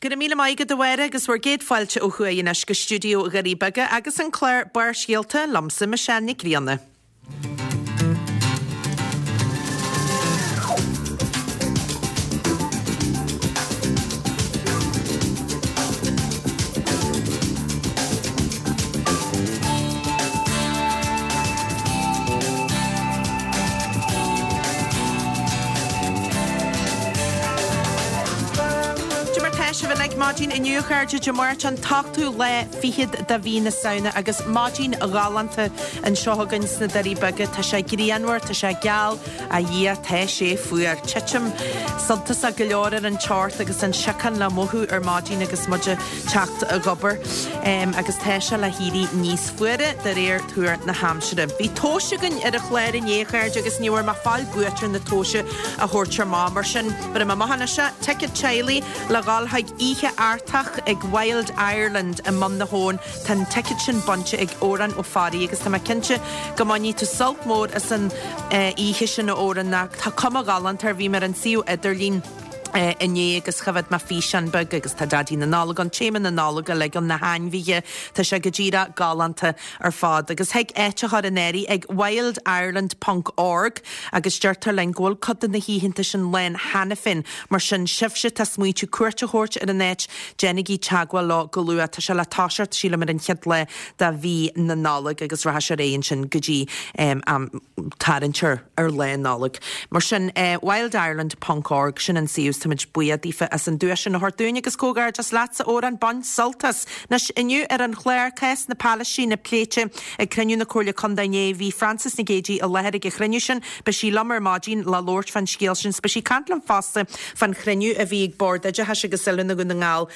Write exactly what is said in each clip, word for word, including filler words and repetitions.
Go raibh míle maith agat a Mháire agus bhur gcéad fáilte ó thuaidh anois go stiúideo Dhoirí Beaga agus an clár Barrscéalta liomsa Michelle Nic Grianna. Cad é mar tá sibh uilig maidin inniu a chairde Dé Máirt an t-ochtú lá fichead de mhí na Samhna agus maidin ghalánta anseo againn sna Doirí Beaga. Tá sé grianmhar, tá sé geal, a Dhia tá sé fuar. Titim suntasach go leor ar an teocht agus an siocán le mothú ar maidin agus muid ag teacht ag obair agus tá sé le héirí níos fuaire de réir tuar na haimsire. Bhí tomhais againn ar an chlár inné a chairde agus ní bhfuair mé fáil buaiteoir na tomhaise a thabhairt amach mar sin bheir mé amach anois é, ticéad teaghlaigh le dhul chuig Oíche Artach ag Wild Ireland i mBun na hAbhann. Tá an ticéad sin bainte ag Odhrán Ó Fearraigh agus tá mé cinnte go mbainfidh tú sult mór as an oíche sin a Odhráin. Tá cuma ghalánta air, bhí mé ar an suíomh idirlín inné agus choimhéad mé físeán beag agus tá Daidí na Nollag ann, téama na Nollag uilig ann, na hainmhithe, tá sé go díreach galánta ar fad. Agus thig áit a chur in áirithe ag wildireland ponc org agus deirtear linn go bhfuil cuid de na hoícheanta sin lán cheana féin, mar sin sibhse atá ag smaointiú cuairt a thabhairt ar an áit, déanaigí teagmháil leo go luath. Tá sé le toiseacht, sílim, ar an chéad lá de mhí na Nollag agus rachaidh sé ar aghaidh ansin go dtí am tarraingt ar ar Lá Nollag. Mar sin, wildireland ponc org, sin an suíomh, táimid buíoch daofa as an duais sin a thabhairt dúinn agus comhghairdeas leatsa, a Odhráin, bain sult as. Anois, inniu ar an chlár, cás na Palaistíne pléite ag cruinniú na Comhairle Contae inné. Bhí Frances Nic Géadaigh i láthair ag an chruinniú sin. Beidh sí liom ar maidin le labhairt fán scéal sin. 's beidh sí ag caint liom fosta fán chruinniú a bhí ag Bord Oideachais agus Oiliúna Dhún na nGall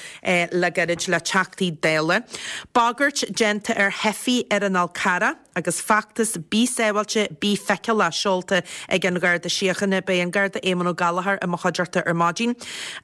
le gairid le Teachtaí Dála. Bagairt déanta ar theifigh ar an Fhál Carrach agus feachtas Bí Sábháilte, Bí Feiceálach seolta ag an Gharda Síochána. Beidh an Garda Éamonn Ó Gallchóir i mo chuideachta ar maidin.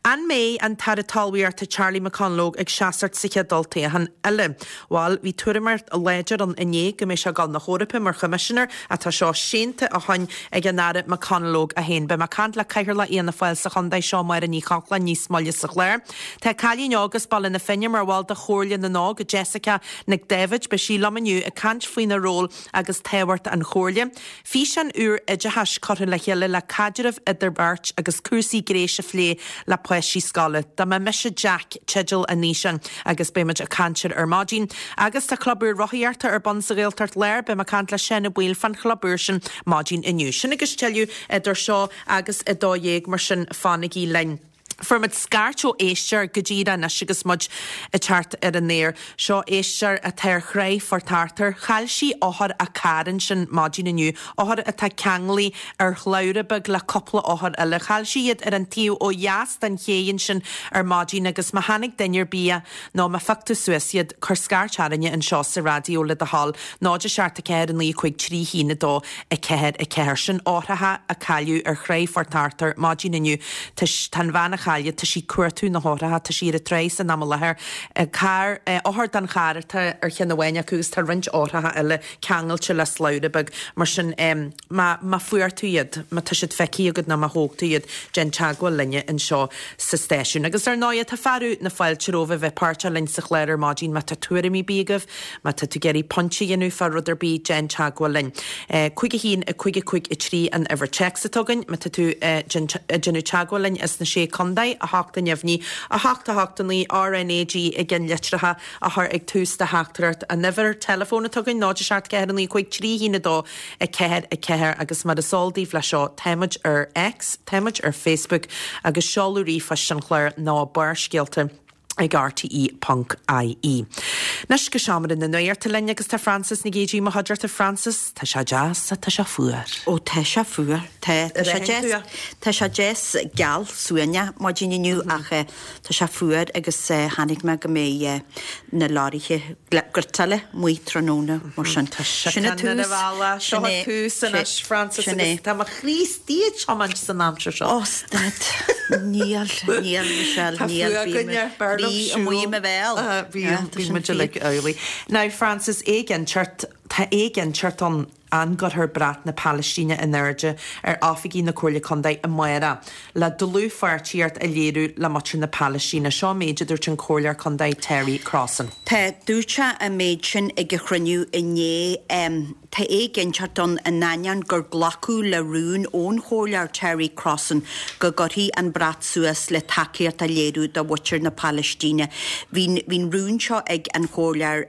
An mbeidh an tAire Talmhaíochta Charlie McConalogue ag seasamh sa chéad olltoghchán eile? Bhail, bhí tuairimíocht láidir ann inné go mbeidh sé ag dul na hEorpa mar Choimisinéir ach tá seo séanta ó shoin ag an Aire McConalogue é féin. Beidh mé ag caint le Cathaoirleach Fhianna Fáil sa chontae seo, Máire Ní Chochláin, níos moille sa chlár. Tá cailín óg as Baile na Finne mar bhall de Chomhairle na nÓg, Jessica Nic Daibhéid. Beidh sí liom inniu ag caint faoina ról agus tábhacht an chomhairle. Físeán úr oideachais curtha le chéile le caidreamh idir beirt agus cúrsaí gnéis a phlé le páistí scoile. Dá mba mise Jack teideal an fhíseáin agus beidh muid ag caint air ar maidin. Agus tá club úr rothaíochta ar bun sa Ghaeltacht Láir, beidh mé ag caint le Seán Ó Baoill fán chlub úr sin maidin inniu. Sin agus tuilleadh idir seo agus a dó dhéag, mar sin fanaigí linn. Fuair muid scairt ó éisteoir go díreach anois agus muid ag teacht ar an aer. Seo éisteoir atá ar thráigh Phort Arthur. Chaill sí eochair a carr ansin maidin inniu, eochair atá ceanglaithe ar shlabhra beag le cúpla eochair eile. Chaill sí iad ar an taobh ó dheas den ché ansin ar maidin agus má chonaic duine ar bith nó má phioc tú suas iad, cuir scairt orainne anseo sa raidió le do thoil, náid a seacht a ceathair a naoi cúig trí haon a dó a ceathair a ceathair. Sin eochracha a cailleadh ar thráigh Phort Arthur maidin inniu. Tá an bhean a chailleadh, tá sí ag cuartú na heochracha, tá sí ar an tráigh san am i láthair. Carr, eochair den charr atá ar cheann amháin acu agus tá roinnt eochracha eile ceangailte le slabhra beag. Mar sin, má, má fuair tú iad, má tá siad feicthe agat nó má thóg tú iad, déan teagmháil linne anseo sa stáisiún. Agus ar ndóigh, tá fearadh na fáilte romhaibh a bheith páirteach linn sa chlár ar maidin. Má tá tuairimí ar bith agaibh, má tá tú ag iarraidh pointe a dhéanamh fá rud ar bith, déan teagmháil linn. Cúig a haon, a cúig a cúig a trí an uimhir téacs atá againn. Má tá tú ag déanamh teagmháil linn as na Sé Contae, a hocht an neamhní, a hocht a hocht a naoi RnaG i gceannlitreacha a chur ag tús do theachtaireacht. An uimhir teileafóin atá againn, náid a seacht ceathair a naoi cúig trí haon a dó a ceathair a ceathair agus mar is eol daoibh leis seo, táimid ar X, táimid ar Facebook agus seoladh ríomhphoist an chláir ná Barrscéalta ag rte ponc ie. Anois go seomra na nuachta linn agus tá Frances Nic Géadaigh i mo chuideachta. Frances, tá sé deas ach tá sé fuar. Ó tá sé fuar. Tá tá sé deas tá sé deas geal suaimhneach maidin inniu ach tá sé fuar agus chonaic mé go mbeidh na leoraithe griotála amuigh tráthnóna mar sin. Tá Sin an tús. Seo an tús anois Frances agus tá mo chroí istigh ag tiomáint san aimsir seo. Ó stad. Níl, níl Michelle, Tá níl. fuath againne, b'fhearr liom Bhí amuigh i mo bhéal. Bhí, bhí muid uilig amhlaidh. Now Frances, éiginnteacht, tá éiginnteacht ann an gcuirfear brat na Palaistíne in airde ar oifigí na Comhairle Contae amárach le dlúthpháirtíocht a léiriú le muintir na Palaistíne. Seo an méid a dúirt an Comhairleoir Contae Terry Crossan. Tá dúirt sé an méid sin ag a chruinniú inné. Tá éiginnteacht ann in ainneoin gur glacadh le rún ón Chomhairleoir Terry Crossan go gcuirfí an brat suas le tacaíocht a léiriú do mhuintir na Palaistíne. Bhí an rún seo ag an Chomhairleoir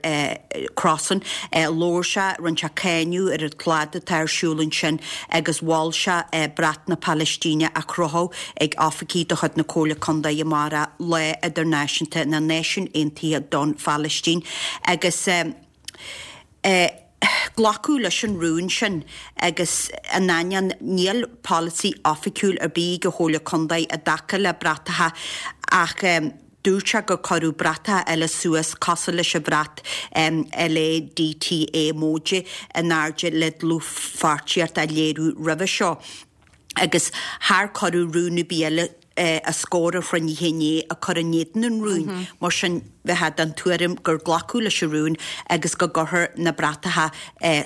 Crossan, labhair sé, rinne sé cáineadh ar an tslad atá ar siúl ansin agus mhol sé brat na Palaistíne a chrochadh ag oifigí de chuid na Comhairle Contae amárach, Lá Idirnáisiúnta na Náisiún Aontaithe don Phalaistín agus glacadh leis an rún sin agus in ainneoin níl polasaí oifigiúil ar bith ag an Chomhairle Contae i dtaca le bratacha ach dúirt sé gur cuireadh bratacha eile suas cosúil leis an bhrat LADTA móide in airde le dlúthpháirtíocht a léiriú roimhe seo agus char cuireadh rún ar bith eile os comhair an chruinnithe inné ag cur in éadan an rúin. Mar sin, bheifeá den tuairim gur glacadh leis an rún agus go gcuirfear na bratacha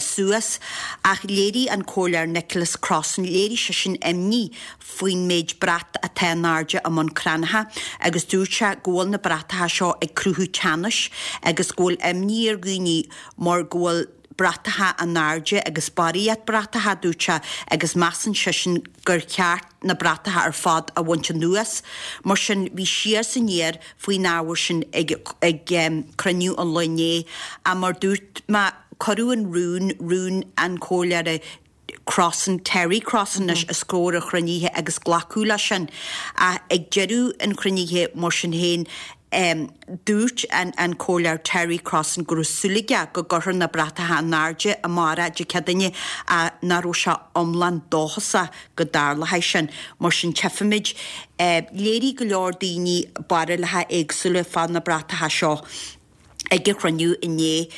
suas. Ach léirigh an Comhairleoir Nicholas Crossan, léirigh seisean imní faoin méid brat atá in airde i mBun Cranncha agus dúirt sé go bhfuil na bratacha seo ag cruthú teannais agus go bhfuil imní ar dhaoine mar go bhfuil bratacha in airde agus barraíocht bratacha, dúirt sé, agus measann seisean gur cheart na bratacha ar fad a bhaint anuas. Mar sin, bhí siar is aniar faoin ábhar sin ag cruinniú an lae inné. Ach mar dúirt mé, cuireadh an rún, rún an Chomhairleora Crossan, Terry Crossan anois, os comhair an chruinnithe agus glacadh leis sin. Ach ag deireadh an chruinnithe, mar sin féin, dúirt an Comhairleoir Terry Crossan go raibh súil aige go gcuirfear na bratacha in airde amárach Dé Céadaoine ach nach raibh sé iomlán dóchasach go dtarlóidh sin. Mar sin tchífimid. Léirigh go leor daoine barúlacha éagsúla fá na bratacha seo ag an chruinniú inné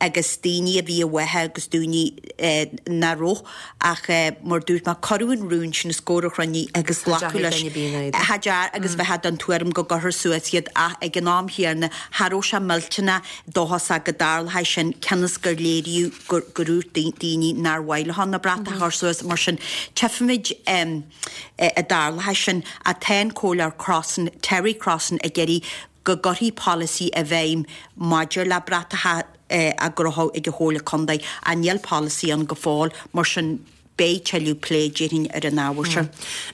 agus daoine a bhí i bhfáth agus daoine nach raibh ach mar dúirt mé cuireadh an rún sin os comhair an chruinnithe agus glacadh leis. Cha dear agus bheifeá den tuairim go gcuirfear suas iad ach ag an am chéanna cha raibh sé millteanach dóchasach go dtarlódh sin cionn is gur léiríodh gur dhúirt daoine nár mhaith leo na bratacha a chur suas mar sin tchífimid an dtarlóidh sin ach tá an Comhairleoir Crossan, Terry Crossan ag iarraidh go gcuirfí polasaí i bhfeidhm maidir le bratacha á gcrochadh ag an Chomhairle Contae ach níl polasaí ann go fóill, mar sin beidh tuilleadh plé déarfainn ar an ábhar seo.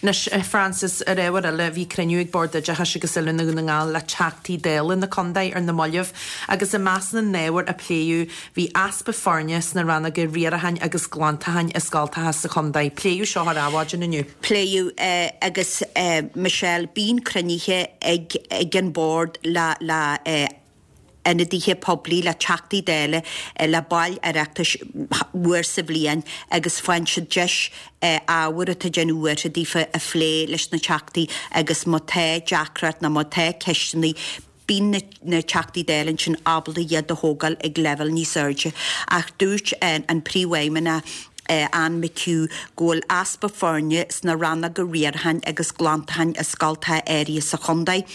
Anois, Frances, ar ábhar eile, bhí cruinniú ag Bord Oideachais agus Oiliúna Dhún na nGall le Teachtaí Dála na Contae ar na mallaibh agus i measc na n-ábhar a pléadh bhí easpa foirne sna rannóga riaracháin agus glantacháin i scoltacha sa chontae. Pléadh seo ar Adhmhaidin inniu. Pléadh agus Michelle, bíonn cruinnithe ag ag an Bord le le ionadaithe poiblí, le Teachtaí Dála, le baill Oireachtais uair sa bhliain agus faigheann siad deis ábhair atá ag déanamh buartha daofa a phlé leis na Teachtaí agus má tá deacracht nó má tá ceisteanna bíonn na Teachtaí Dála ansin ábalta iad a thógáil ag leibhéal níos airde. Ach dúirt an Príomhfheidhmeannach Anne McHugh go bhfuil easpa foirne sna rannóga riaracháin agus glantacháin i scoltacha áirithe sa chontae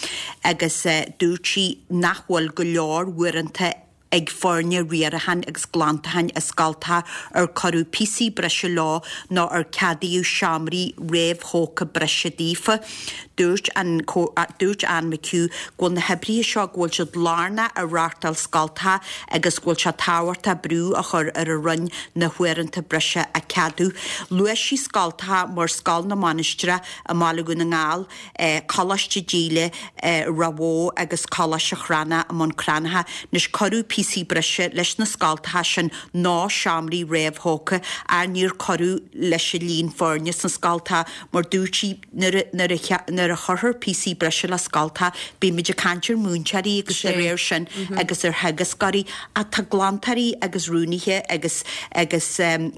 agus dúirt sí nach bhfuil go leor uaireanta ag foirne riaracháin agus glantacháin i scoltacha ar cuireadh píosaí breise leo nó ar ceadaíodh seomraí réamhthógtha breise daofa. Dúirt an Dúirt Anne McHugh go bhfuil na hoibrithe seo go bhfuil siad lárnach i reáchtáil scoltacha agus go bhfuil sé tábhachtach brú a chur ar an Roinn na huaireanta breise a cheadú. Luaigh sí scoltacha mar Scoil na Mainistreach i mBaile Dhún na nGall, Coláiste Díle i Ráth Bhoth agus Coláiste Chranncha i mBun Cranncha. Anois cuireadh píosaí breise leis na scoltacha sin nó seomraí réamhthógtha ach níor cuireadh leis an líon foirne sna scoltacha mar dúirt sí nuair nuair a chuirtear píosaí breise le scoltacha bímid ag caint ar mhúinteoirí agus dá réir sin agus ar theagascóirí ach tá glantóirí agus rúnaithe agus agus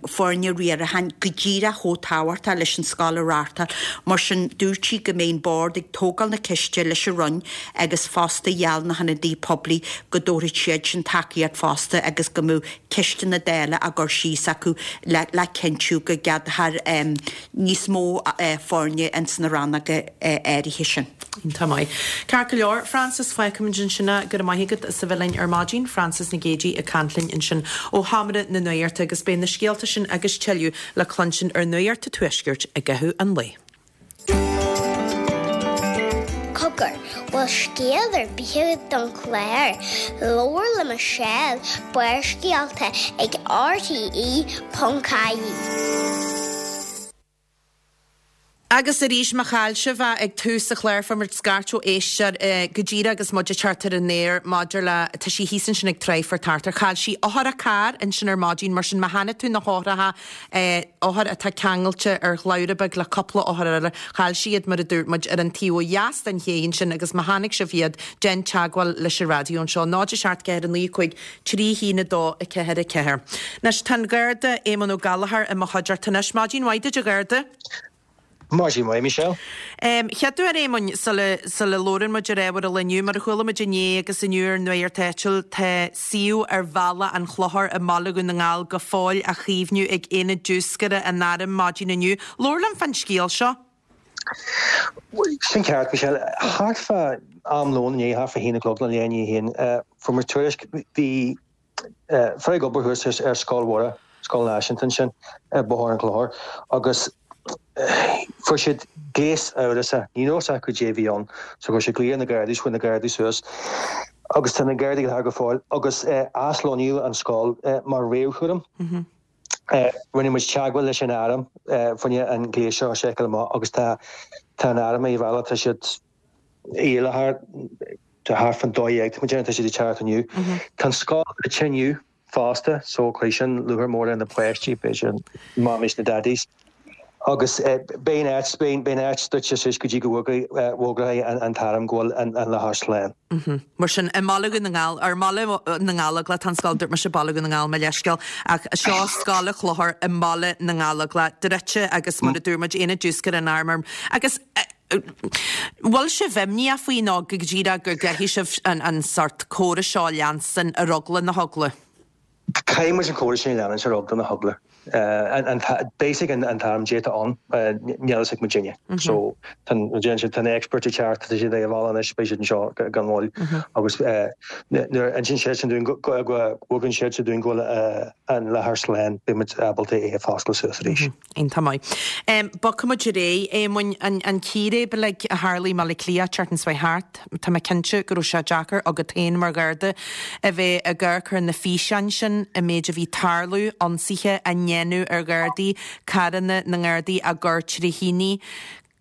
foirne riaracháin go díreach chomh tábhachtach leis an scoil a reáchtáil. Mar sin dúirt sí go mbeidh an Bord ag tógáil na ceiste leis an Roinn agus fosta gheall na hionadaithe poiblí go dtabharfaidh siad sin tacaíocht fosta agus go mbeadh ceisteanna Dála á gcur síos acu le le cinntiú go gceadófar níos mó foirne ins na rannóga áirithe sin. Tá maith. Ceart go leor, Francis fágfaimid ansin é go raibh maith agat as a bheith linn ar maidin, Francis Nic Géadaigh ag caint linn ansin ó Sheomra na Nuachta agus beidh na scéalta sin agus tuilleadh le cluinstin ar Nuacht an Tuaiscirt i gcaitheamh an lae. Cogar, bhfuil scéal ar bith agat don chlár, labhair le Michelle, Barrscéalta ag RTE ponc ie. Agus arís má chaill sibh é ag tús an chláir fuair muid scairt ó éisteoir go díreach agus muid ag teacht ar an aer maidir le tá sí thíos ansin ag Tráigh Phort Arthur. Chaill sí eochair a carr ansin ar maidin mar sin má chonaic tú na heochracha eochair atá ceangailte ar shlabhra beag le cúpla eochair eile chaill sí iad mar a dúirt muid ar an taobh ó dheas den ché ansin agus má chonaic sibh iad déan teagmháil leis an raidió anseo náid a seacht ceathair naoi cúig trí haon a dó a ceathair a ceathair. Anois tá an Garda Éamonn Ó Gallchóir i mo chuideachta anois. Maidin mhaith duit a Gharda. Maidin mhaith, Michelle. Um, Chéad uair Éamoinn sula sula labhrann muid ar ábhar an lae inniu, mar a chuala muid inné agus inniu ar an Nuacht Áitiúil, tá suíomh ar Bhealach an Chlochair i mBaile Dhún na nGall go fóill á chaomhnú ag Aonad Diúscartha an Airm maidin inniu. Labhair liom fán scéal seo. Sin ceart, Michelle. Thart fá am lóin inné, thart fá haon a chlog nó leath i ndiaidh a haon, fuair muid tuairisc, bhí fear ag obair thuas ar Scoil Mhuire, Scoil Náisiúnta ansin, ar Bhóthar an Chlochair, agus fuair siad gléas amhrasach, ní raibh a fhios acu caidé a bhí ann, so chuir siad glaoch ar na Gardaí, chuaigh na Gardaí suas agus tá na Gardaí i láthair go fóill agus aslonnaíodh an scoil mar réamhchúram. Rinne muid teagmháil leis an arm fá choinne an gléas seo a sheiceáil amach agus tá tá an arm ar a bhealach, tá siad i láthair thart fán dó dhéag, tá muid tá siad ag teacht inniu. Tá an scoil druidte inniu fosta so cuirfidh sin lúcháir mór ar na páistí, b'fhéidir mamis na daddies. Agus beidh an áit, beidh an áit druidte suas go dtí go bhfógróidh an t-arm go bhfuil an láthair slán. Mar sin, i mBaile Dhún na nGall, ar mBaile na nGallóglach tá an scoil, dúirt mise Baile Dhún na nGall, mo leithscéal, ach seo Scoil an Chlochair i mBaile na nGallóglach, druidte agus mar a dúirt muid, Aonad Diúscartha an Airm. Agus bhfuil sibh imníoch faoi nó go díreach go gcaithfidh sibh an, an sort córas seo a leanstan ar eagla na heagla? Caithfidh muid an córas sin a leanúint ar eagla na heagla. An basic an t-arm déanta ann, níl a fhios ag muidinne. So tá tá na experts ag teacht, tá siad ag bhaile anois, beidh siad anseo gan mhoill. Agus nuair a insíonn siad sin dúinn go bhfugann siad sin dúinn go bhfuil an láthair slán, beidh muid ábalta é a fhoscladh suas arís. Iontach maith. Bogfaidh muid ar aghaidh, Éamoinn, an an círéib uilig a tharlaigh i mBaile Átha Cliath an tseachtain seo thart, tá mé cinnte go raibh sé deacair agat féin mar Gharda a bheith ag amharc ar na físeáin sin, an méid a bhí tarlú, ionsaithe á ndéanamh ar Ghardaí, carranna na nGardaí á gcur trí thine.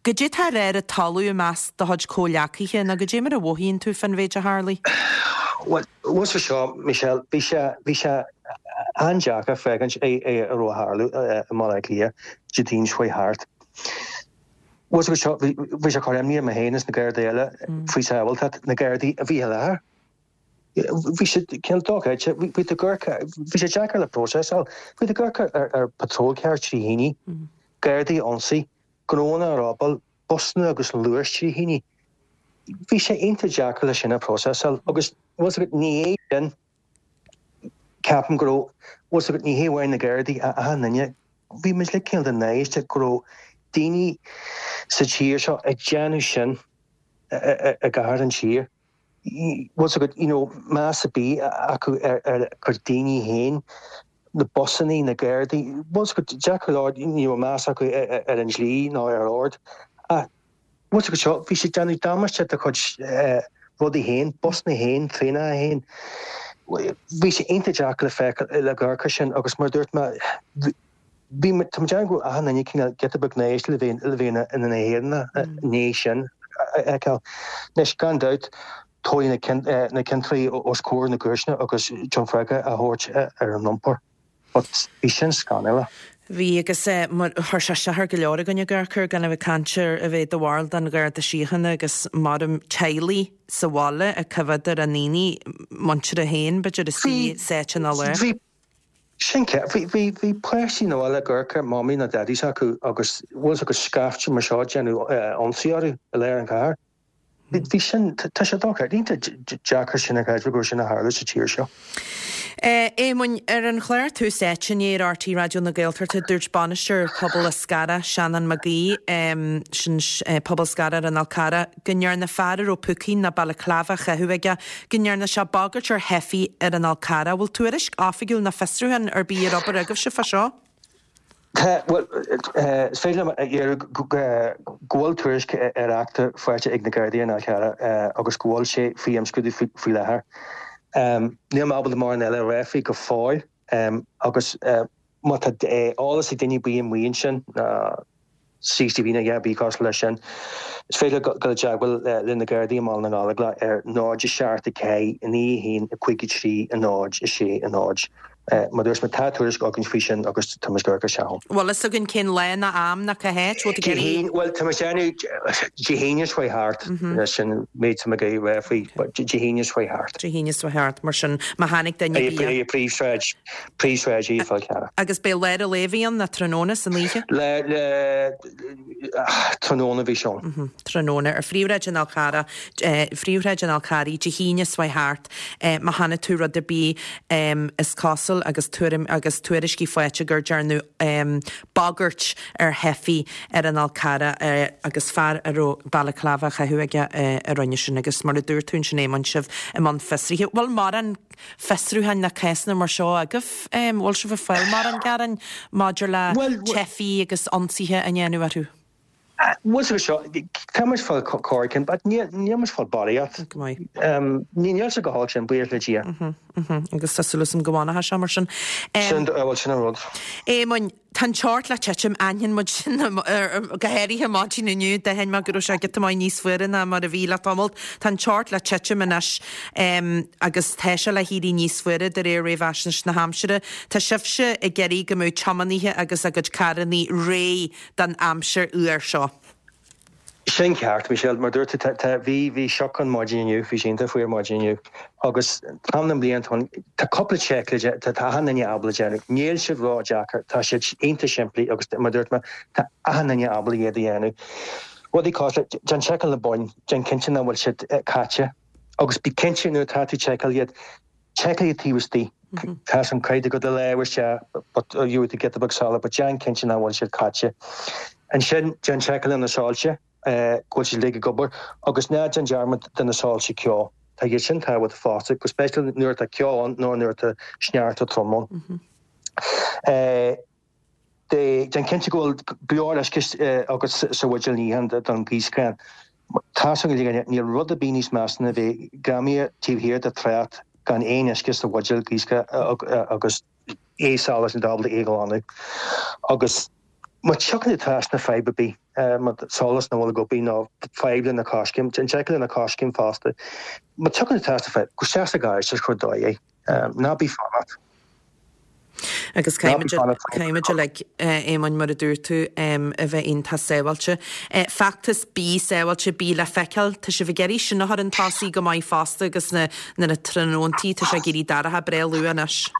Goidé tá ar an talamh i measc do chuid comhghleacaithe nó goidé mar a mhothaíonn tú fán mhéid a tharlaigh? Bhuel, bhuel seo, Michelle, bhí sé bhí sé an-deacair féachaint é é a raibh ag tarlú i mBaile Átha Cliath Dé Daoine seo thart. Bhuel seo bhí bhí sé cur imní orm féin is na Gardaí eile faoi sábháilteacht na Gardaí a bhí i láthair. Bhí sé cineál dochreidte, bhí tú ag amharc bhí sé deacair le próiseáil, bhí tú ag amharc ar ar patrol car trí thine, Gardaí ionsaí, gnónna á robáil, busanna agus Luas trí thine. Bhí sé iontach deacair le sin a próiseáil agus bhfuil ní é sin ceapaim go raibh bhfuil ní hé amháin na Gardaí a achan duine, bhí muid le cineál den náiste go raibh daoine sa tír seo ag déanamh sin i gcathair an tír. Bhfuil agat you know, meas ar bith acu ar ar gur daoine féin, na busanna, na Gardaí, bhfuil agat deacair le ní raibh meas acu ar an dlí ná ar ord. Ach bhfuil agat seo, bhí siad déanamh damáiste do chuid rudaí féin, busanna féin, traenacha féin. Bhí sé iontach deacair le feiceáil le amharc air sin agus mar dúirt mé bhí tá mé déanamh go raibh achan duine cineál giota beag náiste le bheith le bheith ina nÉireannach i ndiaidh sin a fheiceáil. Anois gan dabht tabharfaidh na na ciontóirí os comhair na gcúirteanna agus déanfar freagra a thabhairt ar an iompar. But bhí sin scannalach. Bhí agus mar chuir sé isteach ar go leor againn ag amharc air gan a bheith ag caint ar a bheith i do bhall den Gharda Síochána agus maram teaghlaigh sa bhaile ag coimhéad ar a ndaoine muintire féin b'fhéidir istigh sáite ina lár. Bhí sin ce bhí bhí bhí páistí na bhaile ag amharc ar mamaí nó daddies acu agus bhfuil agus scaifte mar seo déanamh ionsaí orthu i lár an chathair. Bhí sin tá sé dochreidte, iontach deacair sin a chreidiúint go sin a tharla sa tír seo. Éamoinn, ar an chlár Tús Áite inné ar RTÉ Raidió na Gaeltachta, dúirt bainisteoir Pobal Scara, Seanán Mac Aoidh, sin Pobal Scara ar an Fhál Carrach, go ndearna fear a raibh púcaí nó balaclava á chaitheamh aige, go ndearna sé bagairt ar theifigh ar an Fhál Carrach. Bhfuil tuairisc oifigiúil ná fiosrúchán ar bith ar obair agaibhse fá seo? Tá, bhuel, is féidir liom a dhearbhú go bhfuil tuairisc ar eachtra faighte ag na Gardaí ar an Fhál Carrach agus go bhfuil sé faoi imscrúdú faoi láthair. Níl mé ábalta mórán eile a rá faoi go fóill agus má tá eolas ag duine ar bith amuigh ansin, CCTV nó a dhath ar bith cosúil leis sin, is féidir dul i dteagmháil le na Gardaí i mBaile na nGallóglach ar náid a seacht a ceathair naoi a haon a cúig a trí a náid a sé a náid. Mar a dúirt mé, tá tuairisc againn faoi sin agus tá muid ag amharc isteach ann. Bhfuil fhios againn cén lá ná am ná cá háit? Bhfuil tú ag iarraidh. Bhuel, tá muid ag déanamh Dé hAoine seo thart, sin an méid atá mé ag rá faoi, Dé hAoine seo thart. Dé hAoine seo thart, mar sin, má tháinig duine ar bith. I bPríomhshráid, Príomhshráid an Fháil Charraigh. Agus beidh lár an lae a bhí ann, nó tráthnóna san oíche? Le, le, tráthnóna a bhí sé ann. Tráthnóna ar Phríomhshráid an Fhál Carraigh, Phríomhshráid an Fhál Carraigh, Dé hAoine seo thart, má chonaic tú rud ar bith is cosúil agus tuairim agus tuairiscí faighte gur dearnadh bagairt ar theifigh ar an Fhál Carrach agus fear a raibh balaclava á chaitheamh aige a rinne sin agus mar a dúirt tú ansin Éamonn sibh i mbun fiosraithe. Bhfuil mórán fiosrúcháin ná cásanna mar seo agaibh? Bhfuil sibh ag fáil mórán gearáin maidir le teifigh agus ionsaithe a ndéanamh orthu? Bhuel seo, tá muid fáil corr but níl muid fáil barraíocht. Go maith. Níl sé go holc sin, buíochas le Dia. Agus tá súil agam go bhfanfaidh sé mar sin. Sin, bhuel sin an rud. Éamoinn, tá an teocht le titim, aithníonn muid sin, go háirithe maidin inniu, d'aithin mé go raibh sé giota maith níos fuaire ná mar a bhí le tamall. Tá an teocht le titim anois agus tá sé le héirí níos fuaire de réir réamhaisnéis na haimsire. Tá sibhse ag iarraidh go mbeadh tiománaithe agus a gcuid carrannaí réidh don aimsir fhuar seo. Sin ceart, Michelle, mar dúirt tú, tá, bhí, bhí sioc ann maidin inniu, bhí sé iontach fuar maidin inniu agus am na bliana atá ann, tá cúpla seic le tá, tá achan duine ábalta déanamh. Níl siad ró-deacair, tá siad iontach simplí agus mar dúirt mé, tá achan duine ábalta iad a dhéanamh. Rudaí cosúil le, déan seiceáil na boinn, déan cinnte nach bhfuil siad caite agus bí cinnte nuair atá tú ag seiceáil iad, seiceáil iad taobh istigh. Tá an cuid go do lámh isteach but you to get the big salad, but déan cinnte nach bhfuil siad caite. Ansin déan seiceáil ar na soilse, go bhfuil siad uilig ag obair agus ná déan dearmad de na soilse ceo. Tá iad sin tábhachtach fosta, go speisialta nuair atá ceo ann nó nuair atá sneachta trom ann. Déan cinnte go bhfuil go leor uisce agat sa bhuidéal níocháin don ghaothscáin. Tá a fhios againn, níl rud ar bith níos measa ná bheith greamaithe taobh thiar de trácht gan aon uisce sa bhuidéal gaothscáin agus é salach níl tú ábalta é a ghlanadh. Agus má thiocfaidh tú trasna fadhb ar bith, má tá solas nach bhfuil ag obair nó fadhb le na coiscéim, déan seiceáil ar na coiscéim fosta. Má thiocfaidh tú trasna fadhb, gabh isteach sa gharáiste agus cuir ar dóigh é. Ná bí ag fanacht. Agus caithfimid uilig, Éamoinn, mar a dúirt tú, a bheith iontach sábháilte. Feachtas Bí Sábháilte, Bí le Feiceáil, tá sibh ag iarraidh sin a chur chun tosaigh go maith fosta agus na na tráthnóntaí, tá sé ag éirí dorcha breá luath anois.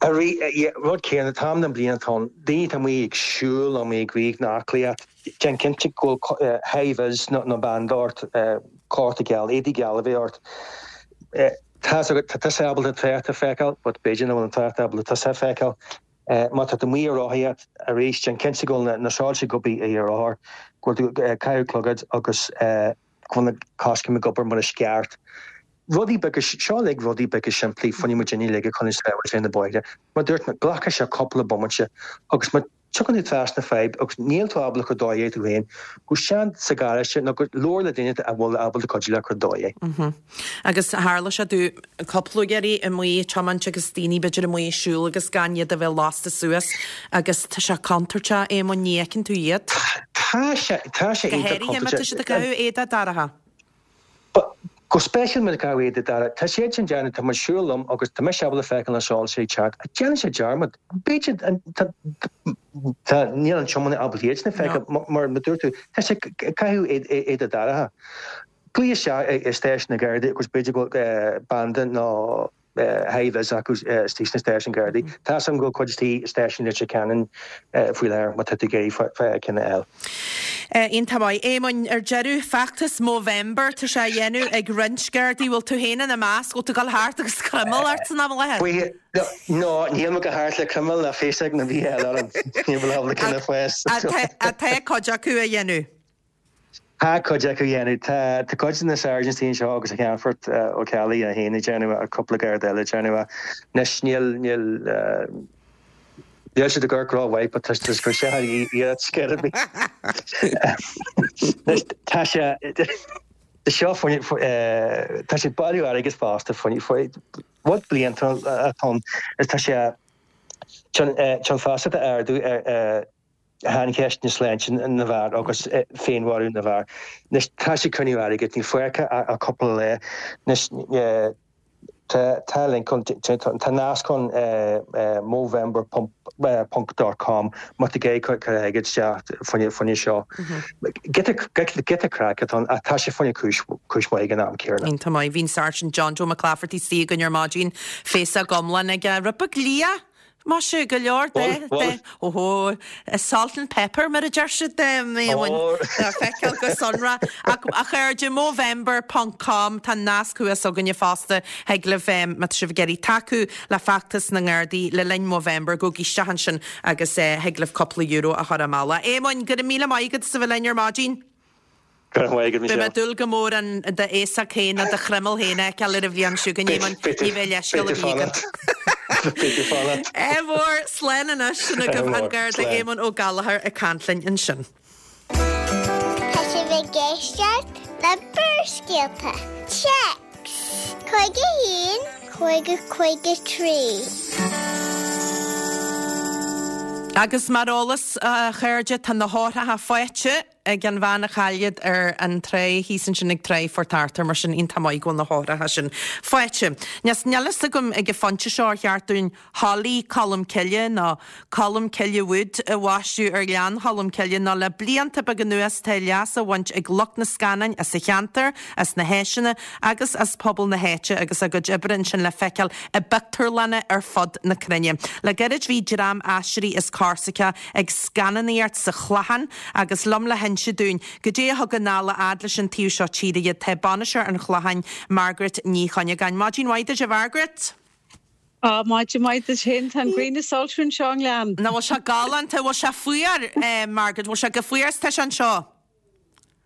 Rud céanna, an t-am den bhliain atá ann, daoine atá amuigh ag siúl nó amuigh ag rith nó aclaíocht, déan cinnte go bhfuil high-vis nó banda ort, cóta geal, éadaí geal a bheith ort. Tá tá tusa ábalta an trácht a feiceáil, but b'fhéidir nach bhfuil an trácht ábalta tusa a feiceáil. Má tá tú amuigh ag rothaíocht, arís, déan cinnte go bhfuil na soilse ag obair ar do rothar, go bhfuil tú ag caitheamh clogad agus go bhfuil na coiscéim ag obair mar is ceart. Rudaí beaga, seo uilig rudaí beaga simplí, fá choinne muid uilig a choinneáil sábháilte ar na bóithre. Mar a dúirt mé, glacfaidh sé cúpla bomaite agus má tiocfaidh tú trasna fadhb agus níl tú ábalta cur ar dóigh é tú féin, gabh isteach sa gharáiste nó go labhair le duine a bhfuil ábalta cuidiú leat cur ar dóigh é. Agus tharla sé domh cúpla uair amuigh ag tiomáint agus daoine b'fhéidir amuigh ag siúl agus gan iad a bheith lasta suas agus tá sé contúirteach, Éamonn, ní fheiceann tú iad. Tá sé, tá sé Go iontach háirithe má tá siad ag contúirteach. caitheamh éadaí dorcha. Go speisialta má tá caitheamh éadaí dorcha, tá siad sin déanamh, tá mé ag siúl liom agus tá mise ábalta feiceáil na soilse ag teacht, ach déanann siad dearmad. B'fhéidir, tá, tá, níl an tiománaí ábalta iad sin a feiceáil, mar a dúirt tú, tá sé ag caitheamh éadaí dorcha. Glaoigh isteach i stáisiún na Gardaí agus b'fhéidir go bhfuil banda nó Hi-vis acu istigh sna stáisiúin Gardaí. Tá 'fhios a'm go bhfuil cuid istigh i stáisiún Leitir Ceanainn faoi láthair má tá tú ag iarraidh ceann a fháil. Iontach maith. Éamoinn, ar deireadh, feachtas Movember, tá sé á dhéanamh ag roinnt Gardaí, bhfuil tú féin ina measc? Bhfuil tú ag dul thart agus croiméal ort san am i láthair? No, níl mé ag dul thart le croiméal ná féasóg ná bhí eile orm. Níl mé ábalta ceann a fháil. Tá cuid acu á dhéanamh. Tá cuid acu á dhéanamh. Tá cuid de na sergeants anseo agus sa Cheannfort Ó Ceallaigh é féin ag déanamh é, cúpla Garda eile ag déanamh é. Anois níl, níl, níl siad ag amharc rómhaith but tá siad ag cur isteach ar iarracht scor ar bith. Anois tá sé, tá seo faoi, tá sé ag bailiú airgid fosta faoi, faoi, rud bliantúil atá ann is tá sé chun, chun feasacht a ardú ar, shaincheist na sláinte na bhfear agus féinmharú na bhfear. Anois tá sé ag cruinniú airgid, níl fágtha ach cúpla lá. Anois tá tá link ann, tá nasc ann movember ponc dot com má tá tú ag iarraidh cur airgead isteach fá choinne seo. Giota giota craic atá ann ach tá sé fá choinne cúis cúis mhaith ag an am céanna. Iontach maith. Bhí an Sáirsint John Joe McClafferty istigh againn ar maidin, féasóg iomlán aige, rud beag liath! Maise go leor de, de, óhó, salt and pepper mar a deir siad, le feiceáil go sonrath. Ach a chairde, Movember ponc com, tá an nasc thuas againne fosta, thig libh, má tá sibh ag iarraidh tacú le feachtas na nGardaí le linn Movember, gabhaigí isteach ansin agus thig libh cúpla euro a chur i mbealach. Éamoinn, go raibh míle maith agat as a bheith linn ar maidin. Go raibh maith agat, Beidh mé Michelle. ag dúil go mór an d'fhéasóg féin nó do chroiméal féin a fheiceáil ar an bhliain seo chugainn, Éamoinn. Ní bheidh leithscéal ar bith agat. Beidh tú fanacht. Ádh mór, slán anois, sin agaibh an Garda Éamonn Ó Gallchóir ag caint linn ansin. Tá sibh ag éisteacht le Barrscéalta. Téacs cúig a haon, cúig a cúig a trí. Agus mar eolas, a chairde, tá na heochracha faighte ag an bhean a chaill iad ar an trá thíos ansin ag Trá Phort Arthur, mar sin iontach maith go bhfuil na heochracha sin faighte. Níl a fhios agam ag an phointe seo ar cheart dúinn Holly Colm Cille nó Colm Cille Wood a bhaisteadh ar Ghleann Cholm Cille nó le blianta beaga anuas tá leas á bhaint ag lucht na scannáin as an cheantar, as na háiseanna agus as pobal na háite agus a gcuid oibre ansin le feiceáil i bpictiúrlanna ar fud na cruinne. Le gairid bhí dream Aisteoirí as Corsica ag scannánaíocht sa Chlochán agus liom le hinse dúinn goidé a thug anall a fhad leis an taobh seo tíre iad tá bainisteoir an Chlocháin, Margaret Ní Chuinneagáin. Maidin mhaith duit a Mhargaret! Á, maidin mhaith duit féin, tá an ghrian ag soilsiú anseo i nGleann. Nach bhfuil sé galánta, bhfuil sé fuar, Margaret, bhfuil sé chomh fuar is tá sé anseo?